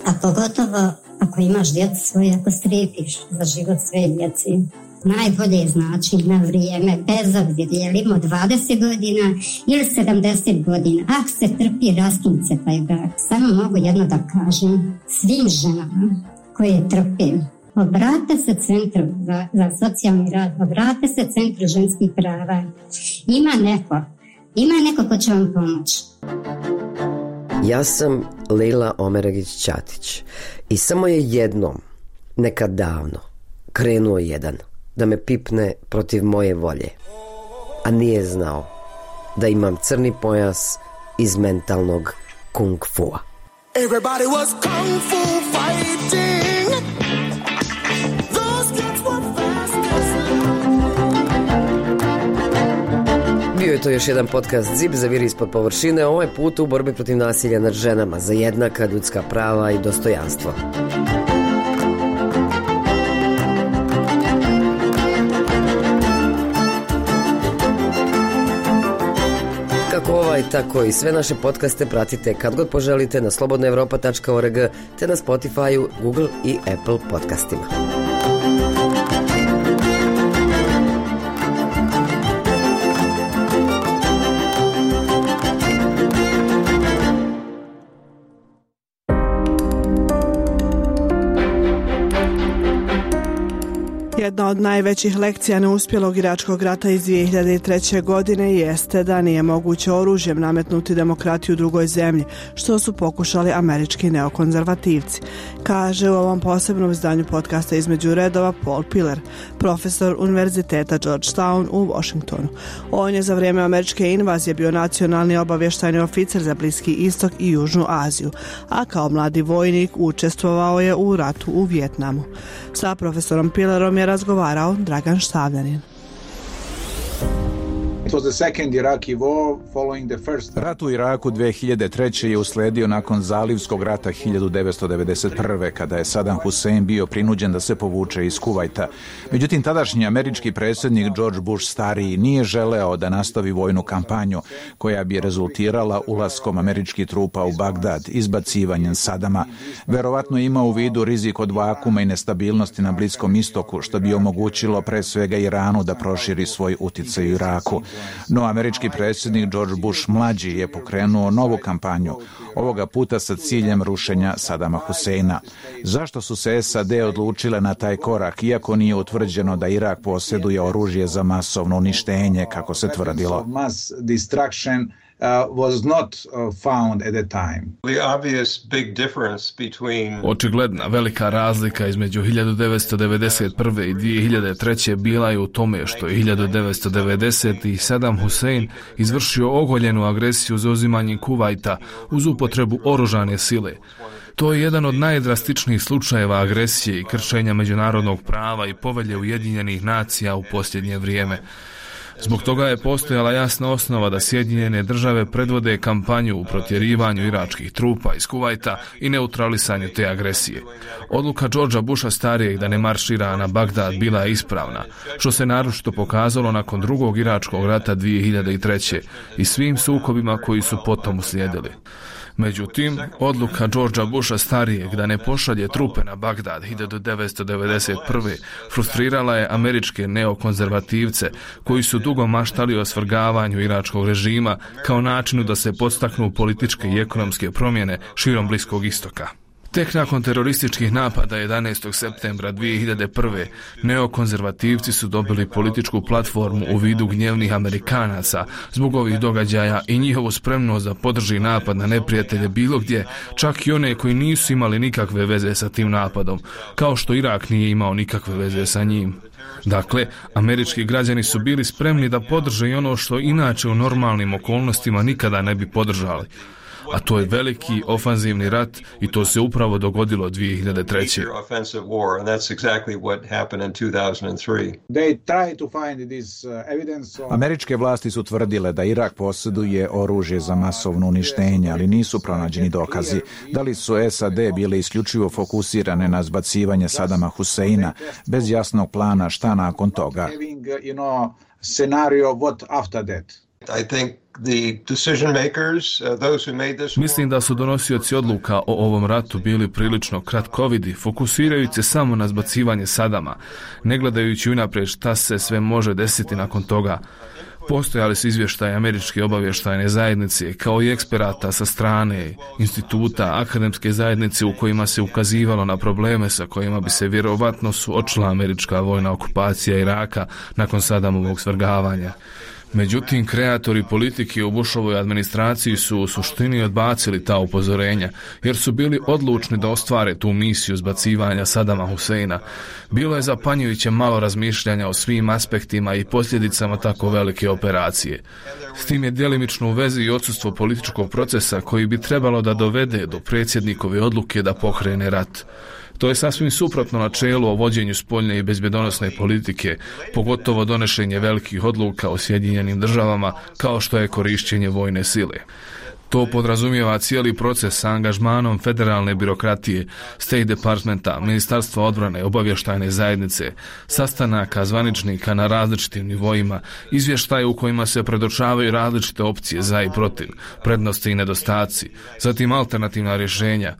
a pogotovo ako imaš djecu svoje, ako strepiš za život svoje djeci. Najbolje je znači na vrijeme, bez obzira jelimo dvadeset godina ili sedamdeset godina. Ako se trpi, raskinut se taj brak. Samo mogu jedno da kažem svim ženama koje trpe. Obrate se Centru za, za socijalni rad, obrate se Centru ženskih prava. Ima neko, ima neko ko će vam pomoći. Ja sam Lejla Omeragić-Ćatić i samo je jednom, nekad davno, krenuo jedan da me pipne protiv moje volje, a nije znao da imam crni pojas iz mentalnog kung fua. Everybody was kung fu fighting. Those kids were fast as lightning. Bio je to još jedan podcast Zip za vir ispod površine, ovaj put u borbi protiv nasilja nad ženama za jednaka ljudska prava i dostojanstvo. Kako ovaj, tako i sve naše podcaste pratite kad god poželite na slobodna europa tačka org te na Spotify, Google i Apple podcastima. Jedna od najvećih lekcija neuspjelog iračkog rata iz dvije hiljade treće. godine jeste da nije moguće oružjem nametnuti demokratiju u drugoj zemlji, što su pokušali američki neokonzervativci, kaže u ovom posebnom izdanju podcasta Između redova Paul Pillar, profesor Univerziteta Georgetown u Washingtonu. On je za vrijeme američke invazije bio nacionalni obavještajni oficir za Bliski istok i Južnu Aziju, a kao mladi vojnik učestvovao je u ratu u Vijetnamu. Sa profesorom Pillarom je razgovarao Dragan Štavljanin. Rat u Iraku dvije hiljade treće. je uslijedio nakon Zalivskog rata hiljadu devetsto devedeset prve. kada je Saddam Hussein bio prinuđen da se povuče iz Kuvajta. Međutim, tadašnji američki predsjednik George Bush stariji nije želeo da nastavi vojnu kampanju koja bi rezultirala ulaskom američkih trupa u Bagdad, izbacivanjem Sadama. Verovatno ima u vidu rizik od vakuma i nestabilnosti na Bliskom istoku, što bi omogućilo pre svega Iranu da proširi svoj utjecaj u Iraku. No, američki predsjednik George Bush mlađi je pokrenuo novu kampanju, ovoga puta sa ciljem rušenja Sadama Huseina. Zašto su se S A D odlučile na taj korak, iako nije utvrđeno da Irak posjeduje oružje za masovno uništenje, kako se tvrdilo? Uh, was not uh, found at the time. The obvious big difference between Očigledna velika razlika između hiljadu devetsto devedeset prve. i dvije hiljade treće. bila je u tome što je hiljadu devetsto devedesete. Saddam Hussein izvršio ogoljenu agresiju za uzimanje Kuvajta uz upotrebu oružane sile. To je jedan od najdrastičnijih slučajeva agresije i kršenja međunarodnog prava i povelje Ujedinjenih nacija u posljednje vrijeme. Zbog toga je postojala jasna osnova da Sjedinjene države predvode kampanju u protjerivanju iračkih trupa iz Kuvajta i neutralisanju te agresije. Odluka Georgea Busha starijeg da ne maršira na Bagdad bila je ispravna, što se naročito pokazalo nakon drugog iračkog rata dvije hiljade treće. i svim sukobima koji su potom uslijedili. Međutim, odluka Georgea Busha starijeg da ne pošalje trupe na Bagdad hiljadu devetsto devedeset prve. frustrirala je američke neokonzervativce koji su dugo maštali o svrgavanju iračkog režima kao načinu da se podstaknu političke i ekonomske promjene širom Bliskog istoka. Tek nakon terorističkih napada jedanaestog septembra dvije hiljade prve. neokonzervativci su dobili političku platformu u vidu gnjevnih Amerikanaca zbog ovih događaja i njihovu spremnost da podrži napad na neprijatelje bilo gdje, čak i one koji nisu imali nikakve veze sa tim napadom, kao što Irak nije imao nikakve veze sa njim. Dakle, američki građani su bili spremni da podrže i ono što inače u normalnim okolnostima nikada ne bi podržali. A to je veliki ofanzivni rat i to se upravo dogodilo dvije hiljade treće. Američke vlasti su tvrdile da Irak posjeduje oružje za masovno uništenje, ali nisu pronađeni dokazi. Da li su S A D bile isključivo fokusirane na zbacivanje Sadama Huseina bez jasnog plana šta nakon toga? I think the decision makers, uh, those who made this... Mislim da su donosioci odluka o ovom ratu bili prilično kratkovidi, fokusirajući se samo na zbacivanje Sadama, ne gledajući unaprijed šta se sve može desiti nakon toga. Postojali su izvještaje američke obavještajne zajednice, kao i eksperata sa strane instituta, akademske zajednice u kojima se ukazivalo na probleme sa kojima bi se vjerovatno suočila američka vojna okupacija Iraka nakon Sadamovog svrgavanja. Međutim, kreatori politike u Bushovoj administraciji su u suštini odbacili ta upozorenja, jer su bili odlučni da ostvare tu misiju zbacivanja Sadama Huseina. Bilo je zapanjujuće malo razmišljanja o svim aspektima i posljedicama tako velike operacije. S tim je djelimično u vezi i odsustvo političkog procesa koji bi trebalo da dovede do predsjednikove odluke da pokrene rat. To je sasvim suprotno načelu o vođenju spoljne i bezbjedonosne politike, pogotovo donošenje velikih odluka o Sjedinjenim državama kao što je korišćenje vojne sile. To podrazumijeva cijeli proces sa angažmanom federalne birokratije, State Departmenta, Ministarstva odbrane, obavještajne zajednice, sastanaka zvaničnika na različitim nivoima, izvještaje u kojima se predočavaju različite opcije za i protiv, prednosti i nedostaci, zatim alternativna rješenja.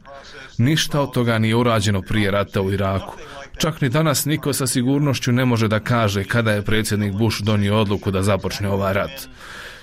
Ništa od toga nije urađeno prije rata u Iraku. Čak ni danas niko sa sigurnošću ne može da kaže kada je predsjednik Bush donio odluku da započne ovaj rat.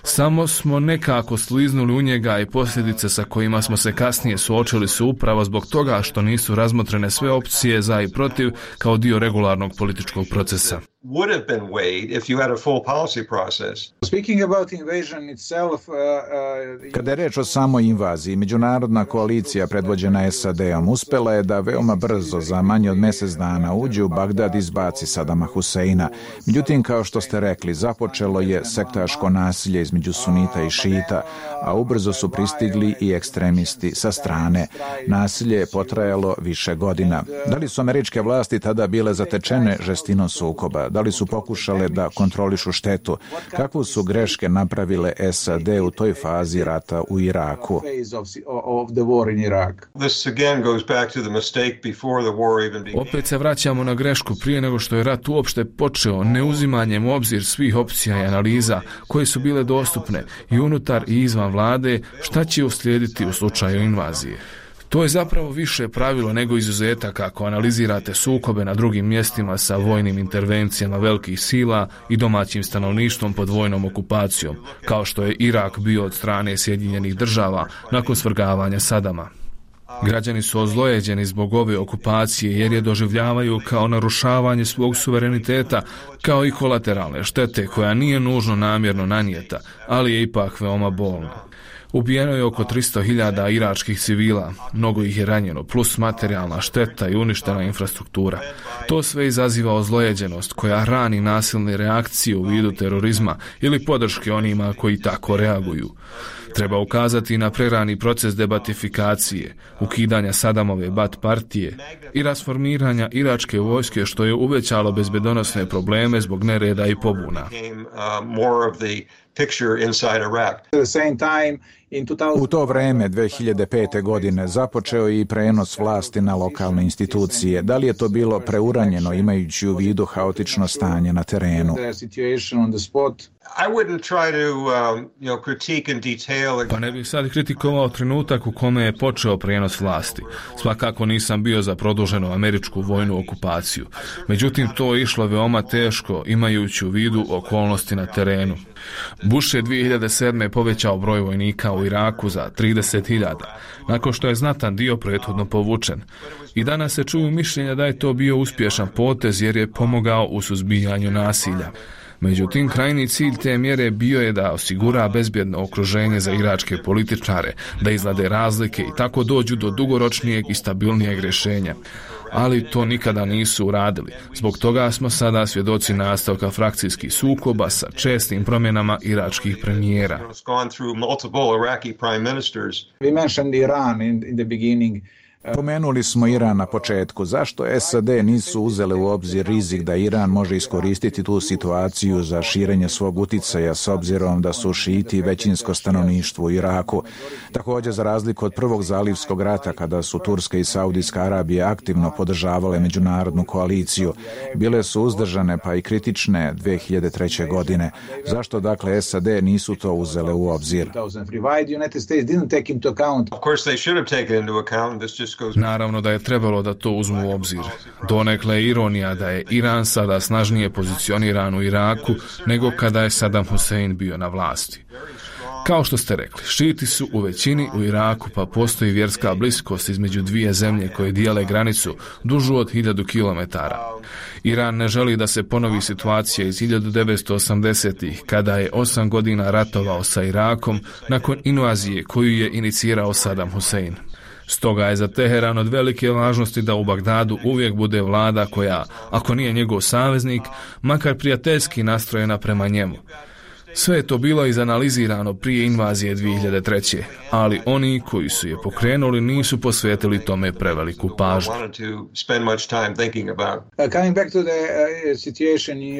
Samo smo nekako sliznuli u njega i posljedice sa kojima smo se kasnije suočili su upravo zbog toga što nisu razmotrene sve opcije za i protiv kao dio regularnog političkog procesa. Would have been weighed if you had a full policy process. Speaking about invasion itself, uh, uh, kada je reč o samoj invaziji, međunarodna koalicija predvođena S A D-om uspela je da veoma brzo, za manje od mjesec dana, uđe u Bagdad i izbaci Sadama Huseina. Međutim, kao što ste rekli, započelo je sektaško nasilje između sunita i šita, a ubrzo su pristigli i ekstremisti sa strane. Nasilje je potrajalo više godina. Da li su američke vlasti tada bile zatečene žestinom sukoba? Da li su pokušale da kontrolišu štetu? Kakvu su greške napravile S A D u toj fazi rata u Iraku? Opet se vraćamo na grešku prije nego što je rat uopšte počeo, neuzimanjem u obzir svih opcija i analiza koje su bile dostupne i unutar i izvan vlade, šta će uslijediti u slučaju invazije. To je zapravo više pravilo nego izuzetak ako analizirate sukobe na drugim mjestima sa vojnim intervencijama velikih sila i domaćim stanovništvom pod vojnom okupacijom, kao što je Irak bio od strane Sjedinjenih država nakon svrgavanja Sadama. Građani su ozlojeđeni zbog ove okupacije jer je doživljavaju kao narušavanje svog suvereniteta, kao i kolateralne štete koja nije nužno namjerno nanijeta, ali je ipak veoma bolna. Ubijeno je oko tristo hiljada iračkih civila, mnogo ih je ranjeno, plus materijalna šteta i uništena infrastruktura. To sve izaziva ozlojeđenost koja hrani nasilne reakcije u vidu terorizma ili podrške onima koji tako reaguju. Treba ukazati na prerani proces debatifikacije, ukidanja Sadamove Bat partije i rasformiranja iračke vojske što je uvećalo bezbjedonosne probleme zbog nereda i pobuna. U to vrijeme, dvije hiljade pete. godine, započeo je i prenos vlasti na lokalne institucije. Da li je to bilo preuranjeno imajući u vidu haotično stanje na terenu? Pa ne bih sad kritikovao trenutak u kome je počeo prijenos vlasti. Svakako nisam bio za produženu američku vojnu okupaciju. Međutim, to je išlo veoma teško imajući u vidu okolnosti na terenu. Bush je dvije hiljade sedme. povećao broj vojnika u Iraku za trideset hiljada, nakon što je znatan dio prethodno povučen. I danas se čuju mišljenja da je to bio uspješan potez jer je pomogao u suzbijanju nasilja. Međutim, krajni cilj te mjere bio je da osigura bezbjedno okruženje za iračke političare, da izlade razlike i tako dođu do dugoročnijeg i stabilnijeg rješenja. Ali to nikada nisu uradili. Zbog toga smo sada svjedoci nastavka frakcijskih sukoba sa čestim promjenama iračkih premijera. We mentioned Iran in, in the beginning. Pomenuli smo Iran na početku. Zašto S A D nisu uzele u obzir rizik da Iran može iskoristiti tu situaciju za širenje svog uticaja s obzirom da su šiti većinsko stanovništvo u Iraku? Također, za razliku od prvog zalivskog rata kada su Turska i Saudijska Arabija aktivno podržavale međunarodnu koaliciju, bile su uzdržane pa i kritične dvije hiljade treće. godine. Zašto dakle S A D nisu to uzele u obzir? Naravno da je trebalo da to uzmu u obzir. Donekle je ironija da je Iran sada snažnije pozicioniran u Iraku nego kada je Saddam Hussein bio na vlasti. Kao što ste rekli, šiti su u većini u Iraku, pa postoji vjerska bliskost između dvije zemlje koje dijele granicu dužu od hiljadu kilometara. Iran ne želi da se ponovi situacija iz hiljadu devetsto osamdesetih kada je osam godina ratovao sa Irakom nakon invazije koju je inicirao Saddam Hussein. Stoga je za Teheran od velike važnosti da u Bagdadu uvijek bude vlada koja, ako nije njegov saveznik, makar prijateljski nastrojena prema njemu. Sve je to bilo izanalizirano prije invazije dvije hiljade treće. ali oni koji su je pokrenuli nisu posvetili tome preveliku pažnju.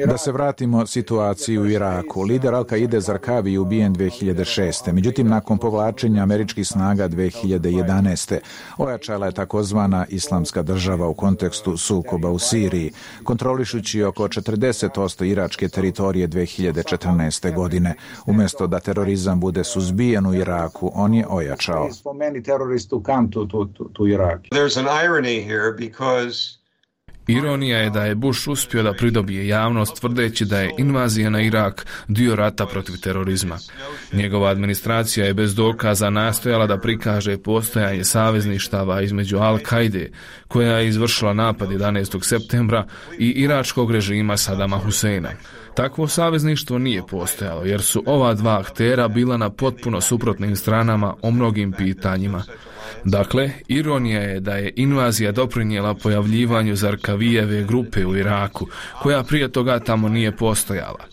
Da se vratimo situaciji u Iraku. Lider Al-Kaide Zarkavi je ubijen dvije hiljade šeste. Međutim, nakon povlačenja američkih snaga dvije hiljade jedanaeste. ojačala je takozvana islamska država u kontekstu sukoba u Siriji, kontrolišući oko četrdeset posto iračke teritorije dvije hiljade četrnaeste. godine. Umjesto da terorizam bude suzbijen u Iraku, on je ojačao. Ironija je da je Bush uspio da pridobije javnost tvrdeći da je invazija na Irak dio rata protiv terorizma. Njegova administracija je bez dokaza nastojala da prikaže postojanje savezništava između Al-Kaide, koja je izvršila napad jedanaestog septembra, i iračkog režima Sadama Huseina. Takvo savezništvo nije postojalo, jer su ova dva aktera bila na potpuno suprotnim stranama o mnogim pitanjima. Dakle, ironija je da je invazija doprinijela pojavljivanju Zarkavijeve grupe u Iraku, koja prije toga tamo nije postojala.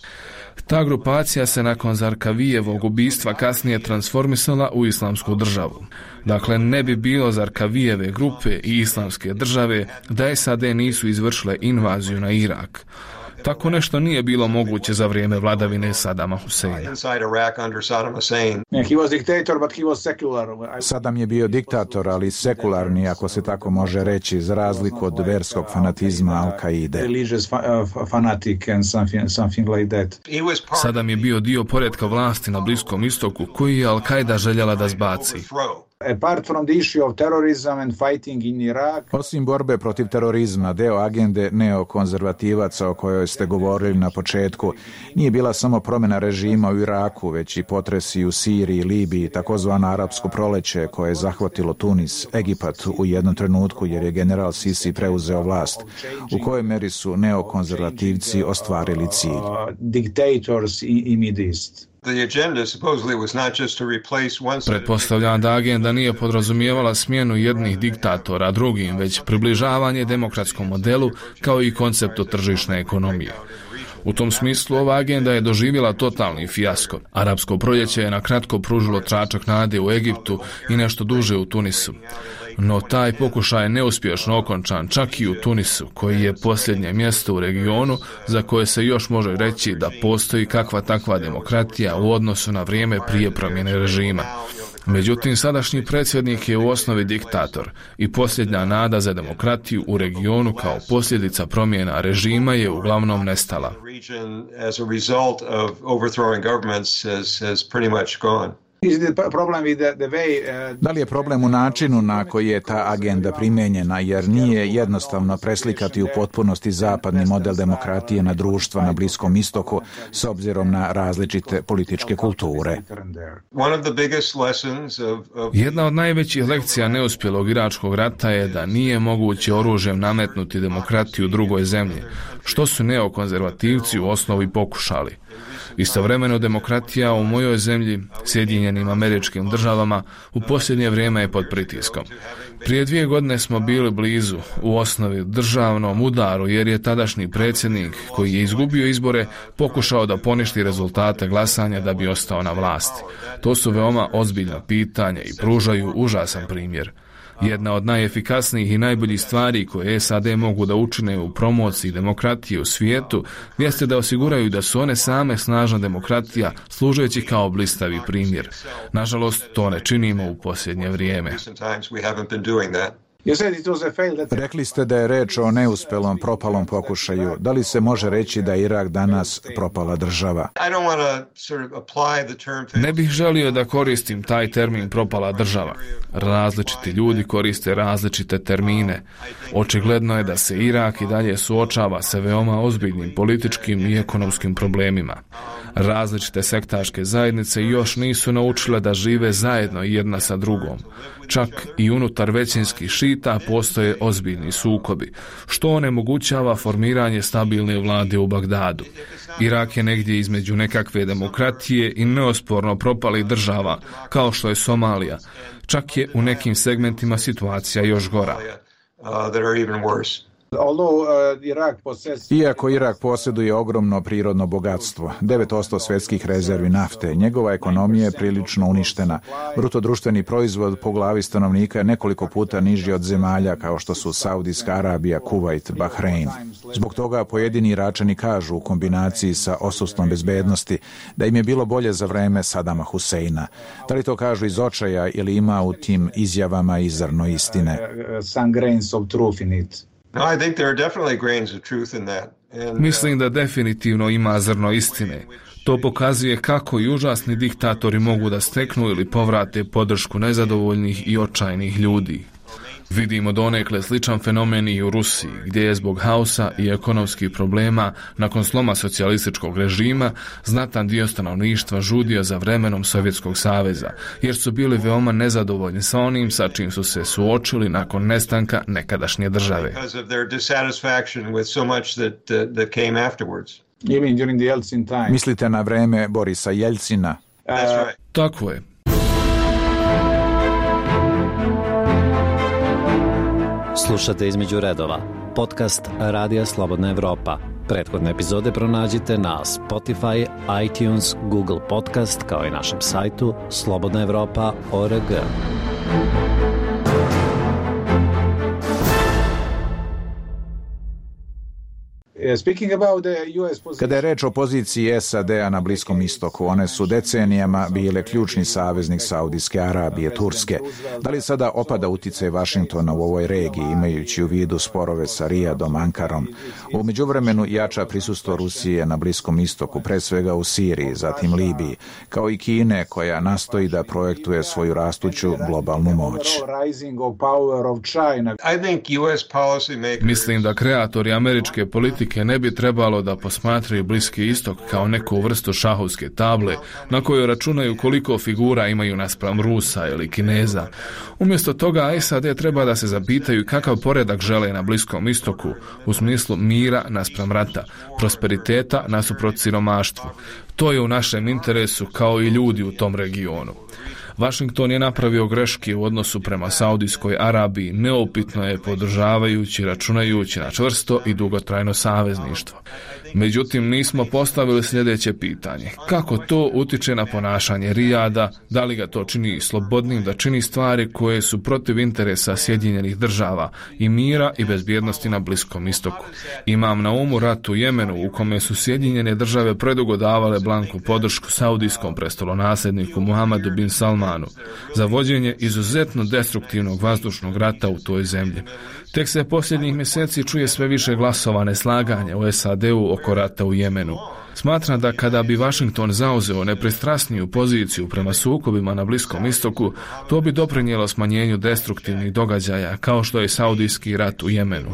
Ta grupacija se nakon Zarkavijevog ubistva kasnije transformisala u islamsku državu. Dakle, ne bi bilo Zarkavijeve grupe i islamske države da S A D nisu izvršile invaziju na Irak. Tako nešto nije bilo moguće za vrijeme vladavine Sadama Huseina. Saddam je bio diktator, ali sekularni, ako se tako može reći, za razliku od verskog fanatizma Al-Kaide. Saddam je bio dio poretka vlasti na Bliskom istoku koji je Al-Kaida željela da zbaci. Osim borbe protiv terorizma, deo agende neokonzervativaca o kojoj ste govorili na početku nije bila samo promjena režima u Iraku, već i potresi u Siriji, Libiji, takozvano arapsko proleće koje je zahvatilo Tunis, Egipat u jednom trenutku jer je general Sisi preuzeo vlast. U kojoj meri su neokonzervativci ostvarili cilj? Pretpostavljam da agenda nije podrazumijevala smjenu jednih diktatora drugim, već približavanje demokratskom modelu kao i konceptu tržišne ekonomije. U tom smislu ova agenda je doživjela totalni fijasko. Arapsko proljeće je na kratko pružilo tračak nade u Egiptu i nešto duže u Tunisu. No taj pokušaj je neuspješno okončan čak i u Tunisu, koji je posljednje mjesto u regionu za koje se još može reći da postoji kakva takva demokratija u odnosu na vrijeme prije promjene režima. Međutim, sadašnji predsjednik je u osnovi diktator i posljednja nada za demokratiju u regionu kao posljedica promjena režima je uglavnom nestala. Da li je problem u načinu na koji je ta agenda primijenjena, jer nije jednostavno preslikati u potpunosti zapadni model demokratije na društva na Bliskom istoku s obzirom na različite političke kulture? Jedna od najvećih lekcija neuspjelog iračkog rata je da nije moguće oružjem nametnuti demokratiju drugoj zemlji, što su neokonzervativci u osnovi pokušali. Istovremeno demokratija u mojoj zemlji, Sjedinjenim Američkim Državama, u posljednje vrijeme je pod pritiskom. Prije dvije godine smo bili blizu u osnovi državnom udaru jer je tadašnji predsjednik koji je izgubio izbore pokušao da poništi rezultate glasanja da bi ostao na vlasti. To su veoma ozbiljna pitanja i pružaju užasan primjer. Jedna od najefikasnijih i najboljih stvari koje S A D mogu da učine u promociji demokratije u svijetu jeste da osiguraju da su one same snažna demokratija, služeći kao blistavi primjer. Nažalost, to ne činimo u posljednje vrijeme. Rekli ste da je reč o neuspelom, propalom pokušaju. Da li se može reći da je Irak danas propala država? Ne bih želio da koristim taj termin propala država. Različiti ljudi koriste različite termine. Očigledno je da se Irak i dalje suočava sa veoma ozbiljnim političkim i ekonomskim problemima. Različite sektaške zajednice još nisu naučile da žive zajedno jedna sa drugom. Čak i unutar većinskih šita postoje ozbiljni sukobi, što onemogućava formiranje stabilne vlade u Bagdadu. Irak je negdje između nekakve demokratije i neosporno propalih država, kao što je Somalija. Čak je u nekim segmentima situacija još gora. Iako Irak posjeduje ogromno prirodno bogatstvo, devet posto svjetskih rezervi nafte, njegova ekonomija je prilično uništena. Brutodruštveni proizvod po glavi stanovnika je nekoliko puta niži od zemalja kao što su Saudijska Arabija, Kuvajt, Bahrein. Zbog toga pojedini Iračani kažu u kombinaciji sa odsustvom bezbednosti da im je bilo bolje za vreme Sadama Huseina. Da li to kažu iz očaja ili ima u tim izjavama i zrno istine? Mislim da definitivno ima zrno istine. To pokazuje kako i užasni diktatori mogu da steknu ili povrate podršku nezadovoljnih i očajnih ljudi. Vidimo donekle sličan fenomen i u Rusiji, gdje je zbog haosa i ekonomskih problema nakon sloma socijalističkog režima znatan dio stanovništva žudio za vremenom Sovjetskog saveza, jer su bili veoma nezadovoljni sa onim sa čim su se suočili nakon nestanka nekadašnje države. Mislite na vreme Borisa Jeljcina? Tako je. Slušate Između redova, podcast Radija Slobodna Evropa. Prethodne epizode pronađite na Spotify, iTunes, Google Podcast, kao i našem sajtu slobodna evropa tačka org. Kada je reč o poziciji S A D-a na Bliskom istoku, one su decenijama bile ključni saveznik Saudijske Arabije, Turske. Da li sada opada uticaj Vašingtona u ovoj regiji, imajući u vidu sporove sa Rijadom, Ankarom? U međuvremenu jača prisustvo Rusije na Bliskom istoku, pre svega u Siriji, zatim Libiji, kao i Kine, koja nastoji da projektuje svoju rastuću globalnu moć. Mislim da kreatori američke politike ne bi trebalo da posmatraju Bliski istok kao neku vrstu šahovske table na kojoj računaju koliko figura imaju naspram Rusa ili Kineza. Umjesto toga S A D treba da se zapitaju kakav poredak žele na Bliskom istoku u smislu mira naspram rata, prosperiteta nasuprot siromaštvu. To je u našem interesu kao i ljudi u tom regionu. Washington je napravio greške u odnosu prema Saudijskoj Arabiji, neupitno je podržavajući, računajući na čvrsto i dugotrajno savezništvo. Međutim, nismo postavili sljedeće pitanje. Kako to utiče na ponašanje Rijada, da li ga to čini slobodnim da čini stvari koje su protiv interesa Sjedinjenih država i mira i bezbjednosti na Bliskom istoku? Imam na umu rat u Jemenu u kome su Sjedinjene države predugo davale blanku podršku saudijskom prestolonasljedniku Muhammedu bin Salmanu za vođenje izuzetno destruktivnog vazdušnog rata u toj zemlji. Tek se posljednjih mjeseci čuje sve više glasova neslaganja u S A D-u oko rata u Jemenu. Smatram da kada bi Washington zauzeo nepristrasniju poziciju prema sukobima na Bliskom istoku, to bi doprinijelo smanjenju destruktivnih događaja kao što je Saudijski rat u Jemenu.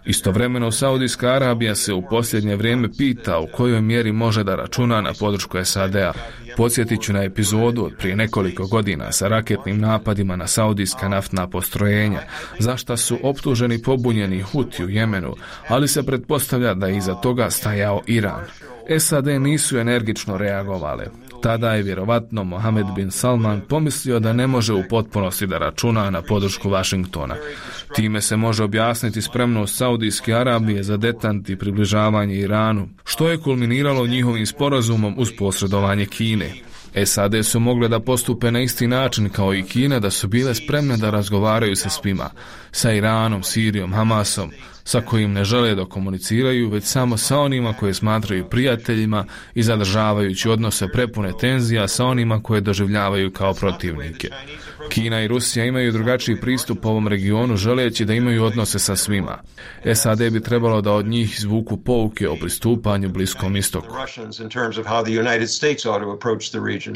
Istovremeno, Saudijska Arabija se u posljednje vrijeme pita u kojoj mjeri može da računa na podršku S A D-a. Podsjetit ću na epizodu od prije nekoliko godina sa raketnim napadima na saudijska naftna postrojenja, za šta su optuženi pobunjeni Huti u Jemenu, ali se pretpostavlja da je iza toga stajao Iran. S A D nisu energično reagovale. Tada je vjerovatno Mohamed bin Salman pomislio da ne može u potpunosti da računa na podršku Washingtona. Time se može objasniti spremnost Saudijske Arabije za detant i približavanje Iranu, što je kulminiralo njihovim sporazumom uz posredovanje Kine. S A D su mogle da postupe na isti način kao i Kina, da su bile spremne da razgovaraju sa svima, sa Iranom, Sirijom, Hamasom, sa kojim ne žele da komuniciraju, već samo sa onima koje smatraju prijateljima i zadržavajući odnose prepune tenzija sa onima koje doživljavaju kao protivnike. Kina i Rusija imaju drugačiji pristup ovom regionu, želeći da imaju odnose sa svima. S A D bi trebalo da od njih izvuku pouke o pristupanju Bliskom istoku. region.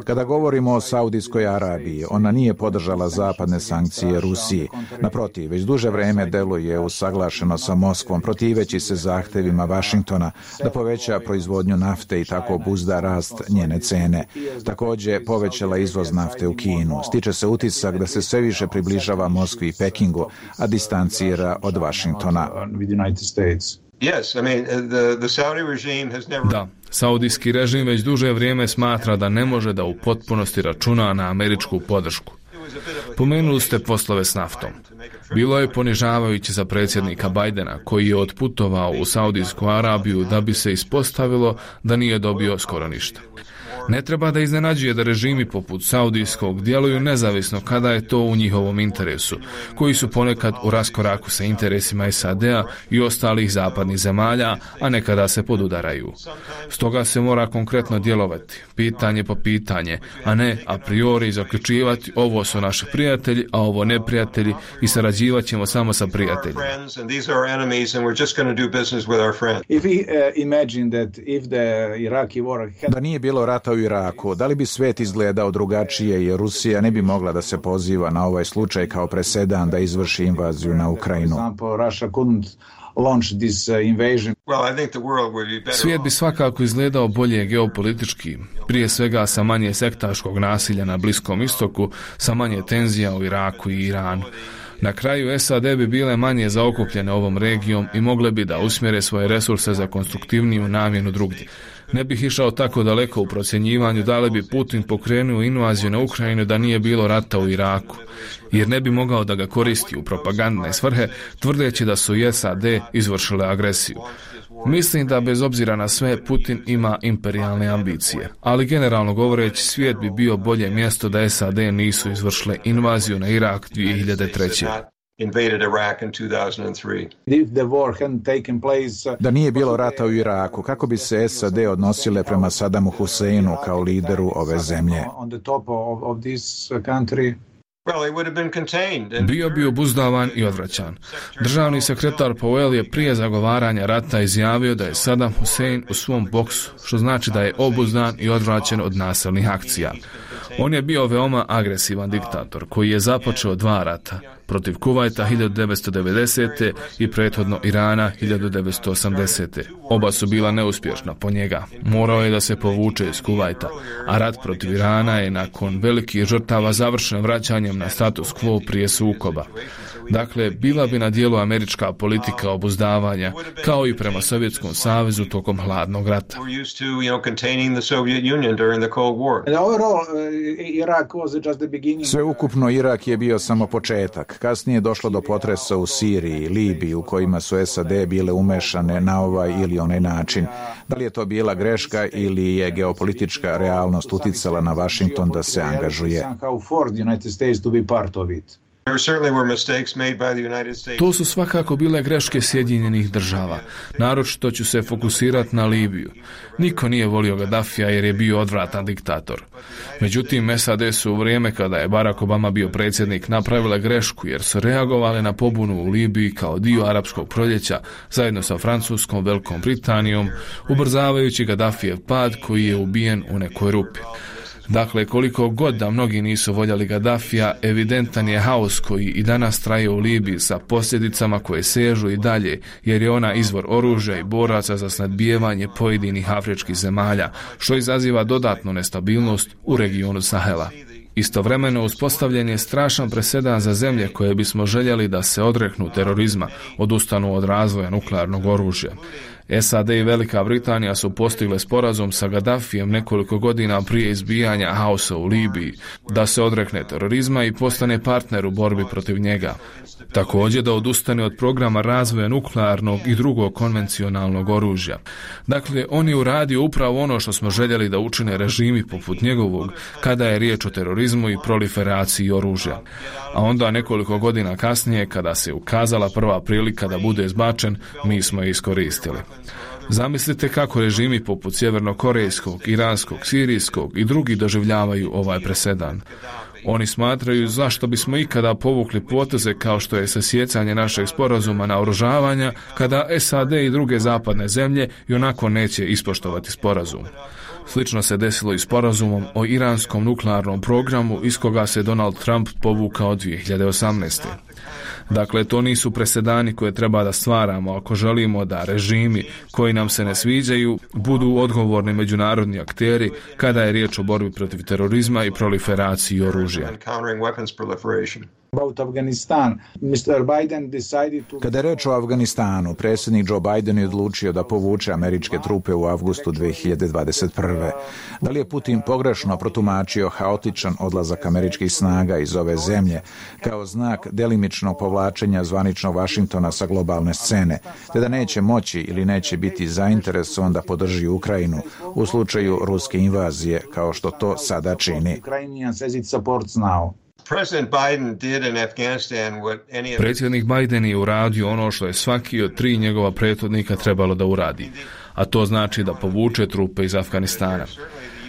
Kada govorimo o Saudijskoj Arabiji, ona nije podržala zapadne sankcije Rusiji. Naprotiv, već duže vreme deluje usaglašeno sa Moskvom, protiveći se zahtevima Vašingtona da poveća proizvodnju nafte i tako obuzda rast njene cene. Također povećala izvoz nafte u Kinu. Stiče se utisak da se sve više približava Moskvi i Pekingu, a distancira od Vašingtona. Yes, I mean, the, the Saudi regime has never... Da, saudijski režim već duže vrijeme smatra da ne može da u potpunosti računa na američku podršku. Pomenuli ste poslove s naftom. Bilo je ponižavajuće za predsjednika Bajdena, koji je otputovao u Saudijsku Arabiju da bi se ispostavilo da nije dobio skoro ništa. Ne treba da iznenađuje da režimi poput saudijskog djeluju nezavisno kada je to u njihovom interesu, koji su ponekad u raskoraku sa interesima S A D-a i ostalih zapadnih zemalja, a nekada se podudaraju. Stoga se mora konkretno djelovati, pitanje po pitanje, a ne a priori zaključivati ovo su naši prijatelji, a ovo neprijatelji i sarađivat ćemo samo sa prijateljima. Da nije bilo rata u Iraku, da li bi svet izgledao drugačije jer Rusija ne bi mogla da se poziva na ovaj slučaj kao presedan da izvrši invaziju na Ukrajinu? Svijet bi svakako izgledao bolje geopolitički, prije svega sa manje sektaškog nasilja na Bliskom istoku, sa manje tenzija u Iraku i Iranu. Na kraju S A D bi bile manje zaokupljene ovom regijom i mogle bi da usmjere svoje resurse za konstruktivniju namjenu drugdje. Ne bih išao tako daleko u procjenjivanju da li bi Putin pokrenuo invaziju na Ukrajinu da nije bilo rata u Iraku, jer ne bi mogao da ga koristi u propagandne svrhe, tvrdeći da su S A D izvršile agresiju. Mislim da bez obzira na sve Putin ima imperijalne ambicije, ali generalno govoreći svijet bi bio bolje mjesto da S A D nisu izvršile invaziju na Irak dvije hiljade treće. Da nije bilo rata u Iraku, kako bi se S A D odnosile prema Sadamu Huseinu kao lideru ove zemlje? Bio bi obuzdavan i odvraćan. Državni sekretar Powell je prije zagovaranja rata izjavio da je Saddam Hussein u svom boksu, što znači da je obuzdan i odvraćen od nasilnih akcija. On je bio veoma agresivan diktator koji je započeo dva rata, protiv Kuvajta hiljadu devetsto devedesete. i prethodno Irana hiljadu devetsto osamdesete. Oba su bila neuspješna po njega. Morao je da se povuče iz Kuvajta, a rat protiv Irana je nakon velikih žrtava završen vraćanjem na status quo prije sukoba. Dakle, bila bi na dijelu američka politika obuzdavanja, kao i prema Sovjetskom savezu tokom hladnog rata. Sve ukupno Irak je bio samo početak. Kasnije je došlo do potresa u Siriji i Libiji u kojima su S A D bile umešane na ovaj ili onaj način. Da li je to bila greška ili je geopolitička realnost uticala na Washington da se angažuje? To su svakako bile greške Sjedinjenih država. Naročito ću se fokusirati na Libiju. Niko nije volio Gaddafija jer je bio odvratan diktator. Međutim, S A D su u vrijeme kada je Barack Obama bio predsjednik napravile grešku jer su reagovali na pobunu u Libiji kao dio arapskog proljeća zajedno sa Francuskom, Velikom Britanijom, ubrzavajući Gaddafijev pad koji je ubijen u nekoj rupi. Dakle, koliko god da mnogi nisu voljeli Gaddafija, evidentan je haos koji i danas traje u Libiji sa posljedicama koje sežu i dalje, jer je ona izvor oružja i boraca za snadbijevanje pojedinih afričkih zemalja, što izaziva dodatnu nestabilnost u regionu Sahela. Istovremeno uspostavljen je strašan presedan za zemlje koje bismo željeli da se odreknu terorizma, odustanu od razvoja nuklearnog oružja. S A D i Velika Britanija su postigle sporazum sa Gaddafijem nekoliko godina prije izbijanja haosa u Libiji, da se odrekne terorizma i postane partner u borbi protiv njega. Također da odustane od programa razvoja nuklearnog i drugog konvencionalnog oružja. Dakle, on je uradio upravo ono što smo željeli da učine režimi poput njegovog kada je riječ o terorizmu i proliferaciji oružja. A onda nekoliko godina kasnije, kada se ukazala prva prilika da bude izbačen, mi smo je iskoristili. Zamislite kako režimi poput sjevernokorejskog, iranskog, sirijskog i drugi doživljavaju ovaj presedan. Oni smatraju zašto bismo ikada povukli poteze kao što je sasjecanje našeg sporazuma na oružavanja kada S A D i druge zapadne zemlje i onako neće ispoštovati sporazum. Slično se desilo i sporazumom o iranskom nuklearnom programu iz koga se Donald Trump povukao dvije hiljade osamnaeste. Dakle, to nisu presedani koje treba da stvaramo ako želimo da režimi koji nam se ne sviđaju budu odgovorni međunarodni akteri kada je riječ o borbi protiv terorizma i proliferaciji oružja. Kada je reč o Afganistanu, predsjednik Joe Biden je odlučio da povuče američke trupe u avgustu dvije hiljade dvadeset prve. Da li je Putin pogrešno protumačio haotičan odlazak američkih snaga iz ove zemlje kao znak delimičnog povlačenja zvaničnog Vašingtona sa globalne scene, te da neće moći ili neće biti zainteresovan da podrži Ukrajinu u slučaju ruske invazije, kao što to sada čini? Predsjednik Biden je uradio ono što je svaki od tri njegova prethodnika trebalo da uradi, a to znači da povuče trupe iz Afganistana.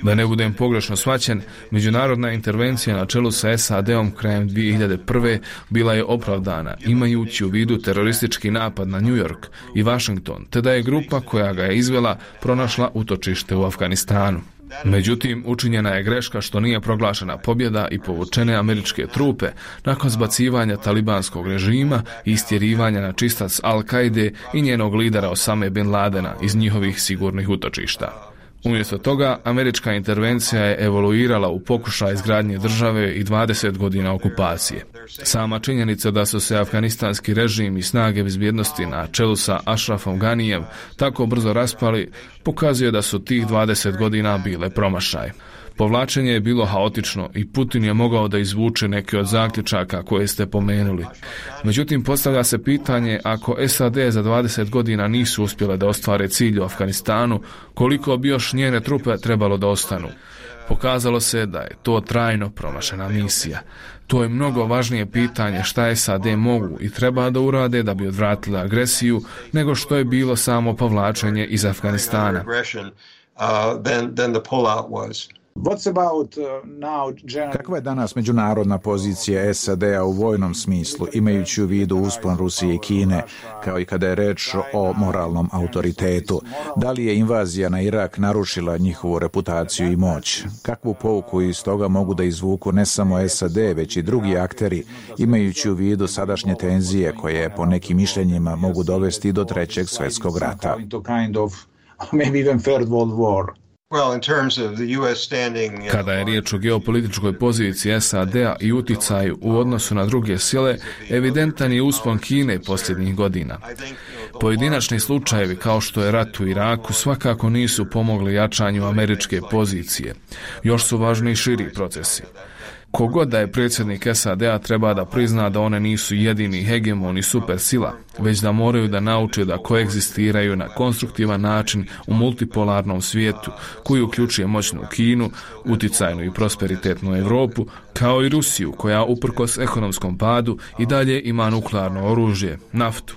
Da ne budem pogrešno shvaćen, međunarodna intervencija na čelu sa S A D-om krajem dvije hiljade prve bila je opravdana, imajući u vidu teroristički napad na New York i Washington, te da je grupa koja ga je izvela pronašla utočište u Afganistanu. Međutim, učinjena je greška što nije proglašena pobjeda i povučene američke trupe nakon zbacivanja talibanskog režima i istjerivanja na čistac Al-Kaide i njenog lidera Osame bin Ladena iz njihovih sigurnih utočišta. Umjesto toga, američka intervencija je evoluirala u pokušaj izgradnje države i dvadeset godina okupacije. Sama činjenica da su se afganistanski režim i snage bezbjednosti na čelu sa Ashrafom Ganijem tako brzo raspali, pokazuje da su tih dvadeset godina bile promašaj. Povlačenje je bilo haotično i Putin je mogao da izvuče neke od zaključaka koje ste pomenuli. Međutim, postavlja se pitanje, ako S A D za dvadeset godina nisu uspjele da ostvare cilj u Afganistanu, koliko bi još njene trupe trebalo da ostanu? Pokazalo se da je to trajno promašena misija. To je mnogo važnije pitanje šta S A D mogu i treba da urade da bi odvratili agresiju, nego što je bilo samo povlačenje iz Afganistana. Kakva je danas međunarodna pozicija S A D-a u vojnom smislu, imajući u vidu uspon Rusije i Kine, kao i kada je reč o moralnom autoritetu? Da li je invazija na Irak narušila njihovu reputaciju i moć? Kakvu pouku iz toga mogu da izvuku ne samo S A D, već i drugi akteri, imajući u vidu sadašnje tenzije koje po nekim mišljenjima mogu dovesti do trećeg svjetskog rata? Kada je riječ o geopolitičkoj poziciji S A D-a i uticaju u odnosu na druge sile, evidentan je uspon Kine posljednjih godina. Pojedinačni slučajevi kao što je rat u Iraku svakako nisu pomogli jačanju američke pozicije. Još su važni širi procesi. Kogod da je predsjednik S A D-a treba da prizna da one nisu jedini hegemoni supersila, već da moraju da nauče da koegzistiraju na konstruktivan način u multipolarnom svijetu koji uključuje moćnu Kinu, uticajnu i prosperitetnu Europu, kao i Rusiju koja uprkos ekonomskom padu i dalje ima nuklearno oružje, naftu.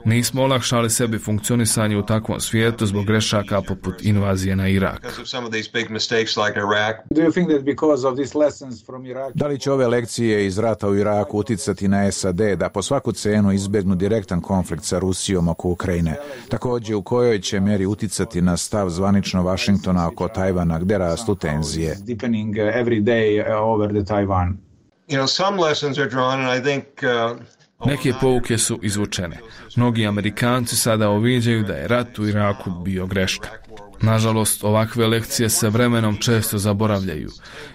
Nismo olakšali sebi funkcionisanje u takvom svijetu zbog grešaka poput invazije na Irak. Da li će ove lekcije iz rata u Iraku uticati na S A D da po svaku cenu izbjegnu direktan konflikt sa Rusijom oko Ukrajine? Također, u kojoj će mjeri uticati na stav zvanično Vašingtona oko Tajvana, gdje rastu tenzije? You know, some lessons are drawn, and I think uh, Neke pouke su izvučene. Mnogi Amerikanci sada uviđaju da je rat u Iraku bio greška. Nažalost, ovakve lekcije se vremenom često zaboravljaju.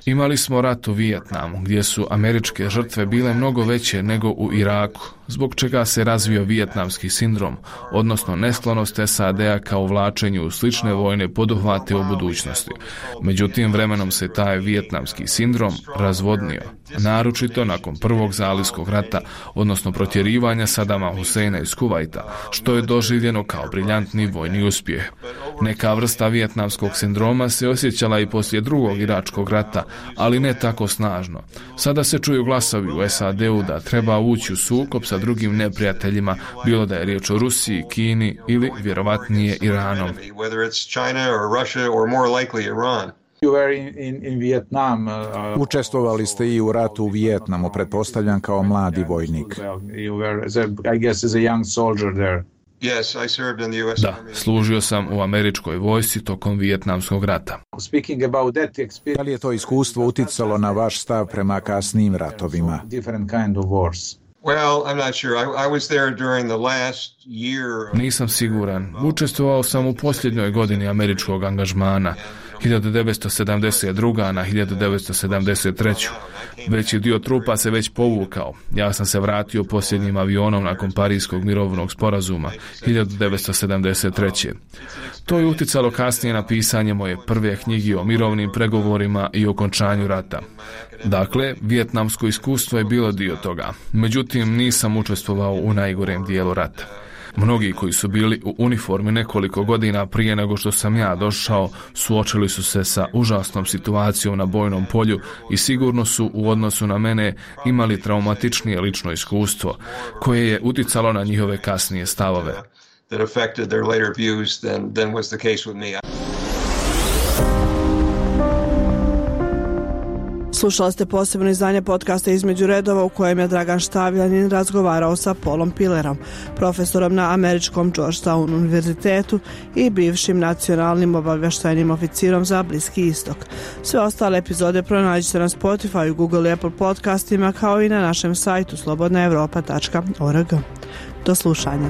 Imali smo rat u Vijetnamu, gdje su američke žrtve bile mnogo veće nego u Iraku, zbog čega se razvio vijetnamski sindrom, odnosno nesklonost S A D-a kao vlačenju u slične vojne poduhvate u budućnosti. Međutim, vremenom se taj vijetnamski sindrom razvodnio, naročito nakon prvog zalivskog rata, odnosno protjerivanja Sadama Huseina iz Kuvajta, što je doživljeno kao briljantni vojni uspjeh. Neka vrsta vijetnamskog sindroma se osjećala i poslije drugog iračkog rata, ali ne tako snažno. Sada se čuju glasovi u S A D-u da treba ući u sukob sa drugim neprijateljima, bilo da je riječ o Rusiji, Kini ili vjerovatnije Iranom. Učestvovali ste i u ratu u Vijetnamu, pretpostavljam kao mladi vojnik. Yes, I served in the U S Da, služio sam u američkoj vojsci tokom Vijetnamskog rata. Speaking about that experience, da li je to iskustvo uticalo na vaš stav prema kasnijim ratovima? Different kind of wars. Well, I'm not sure. I, I was there during the last year. Nisam siguran. Učestvovao sam u posljednjoj godini američkog angažmana, hiljadu devetsto sedamdeset druga na hiljadu devetsto sedamdeset treća Veći dio trupa se već povukao. Ja sam se vratio posljednjim avionom nakon Parijskog mirovnog sporazuma hiljadu devetsto sedamdeset treće To je uticalo kasnije na pisanje moje prve knjige o mirovnim pregovorima i okončanju rata. Dakle, vijetnamsko iskustvo je bilo dio toga. Međutim, nisam učestvovao u najgorem dijelu rata. Mnogi koji su bili u uniformi nekoliko godina prije nego što sam ja došao, suočili su se sa užasnom situacijom na bojnom polju i sigurno su u odnosu na mene imali traumatičnije lično iskustvo, koje je uticalo na njihove kasnije stavove. That affected their later views than, than was the case with me. Slušali ste posebno izdanje podcasta Između redova u kojem je Dragan Štavljanin razgovarao sa Paulom Pillerom, profesorom na američkom Georgetown univerzitetu i bivšim nacionalnim obavještajnim oficirom za Bliski istok. Sve ostale epizode pronađite na Spotify, Google i Apple podcastima kao i na našem sajtu slobodna europa tačka org. Do slušanja.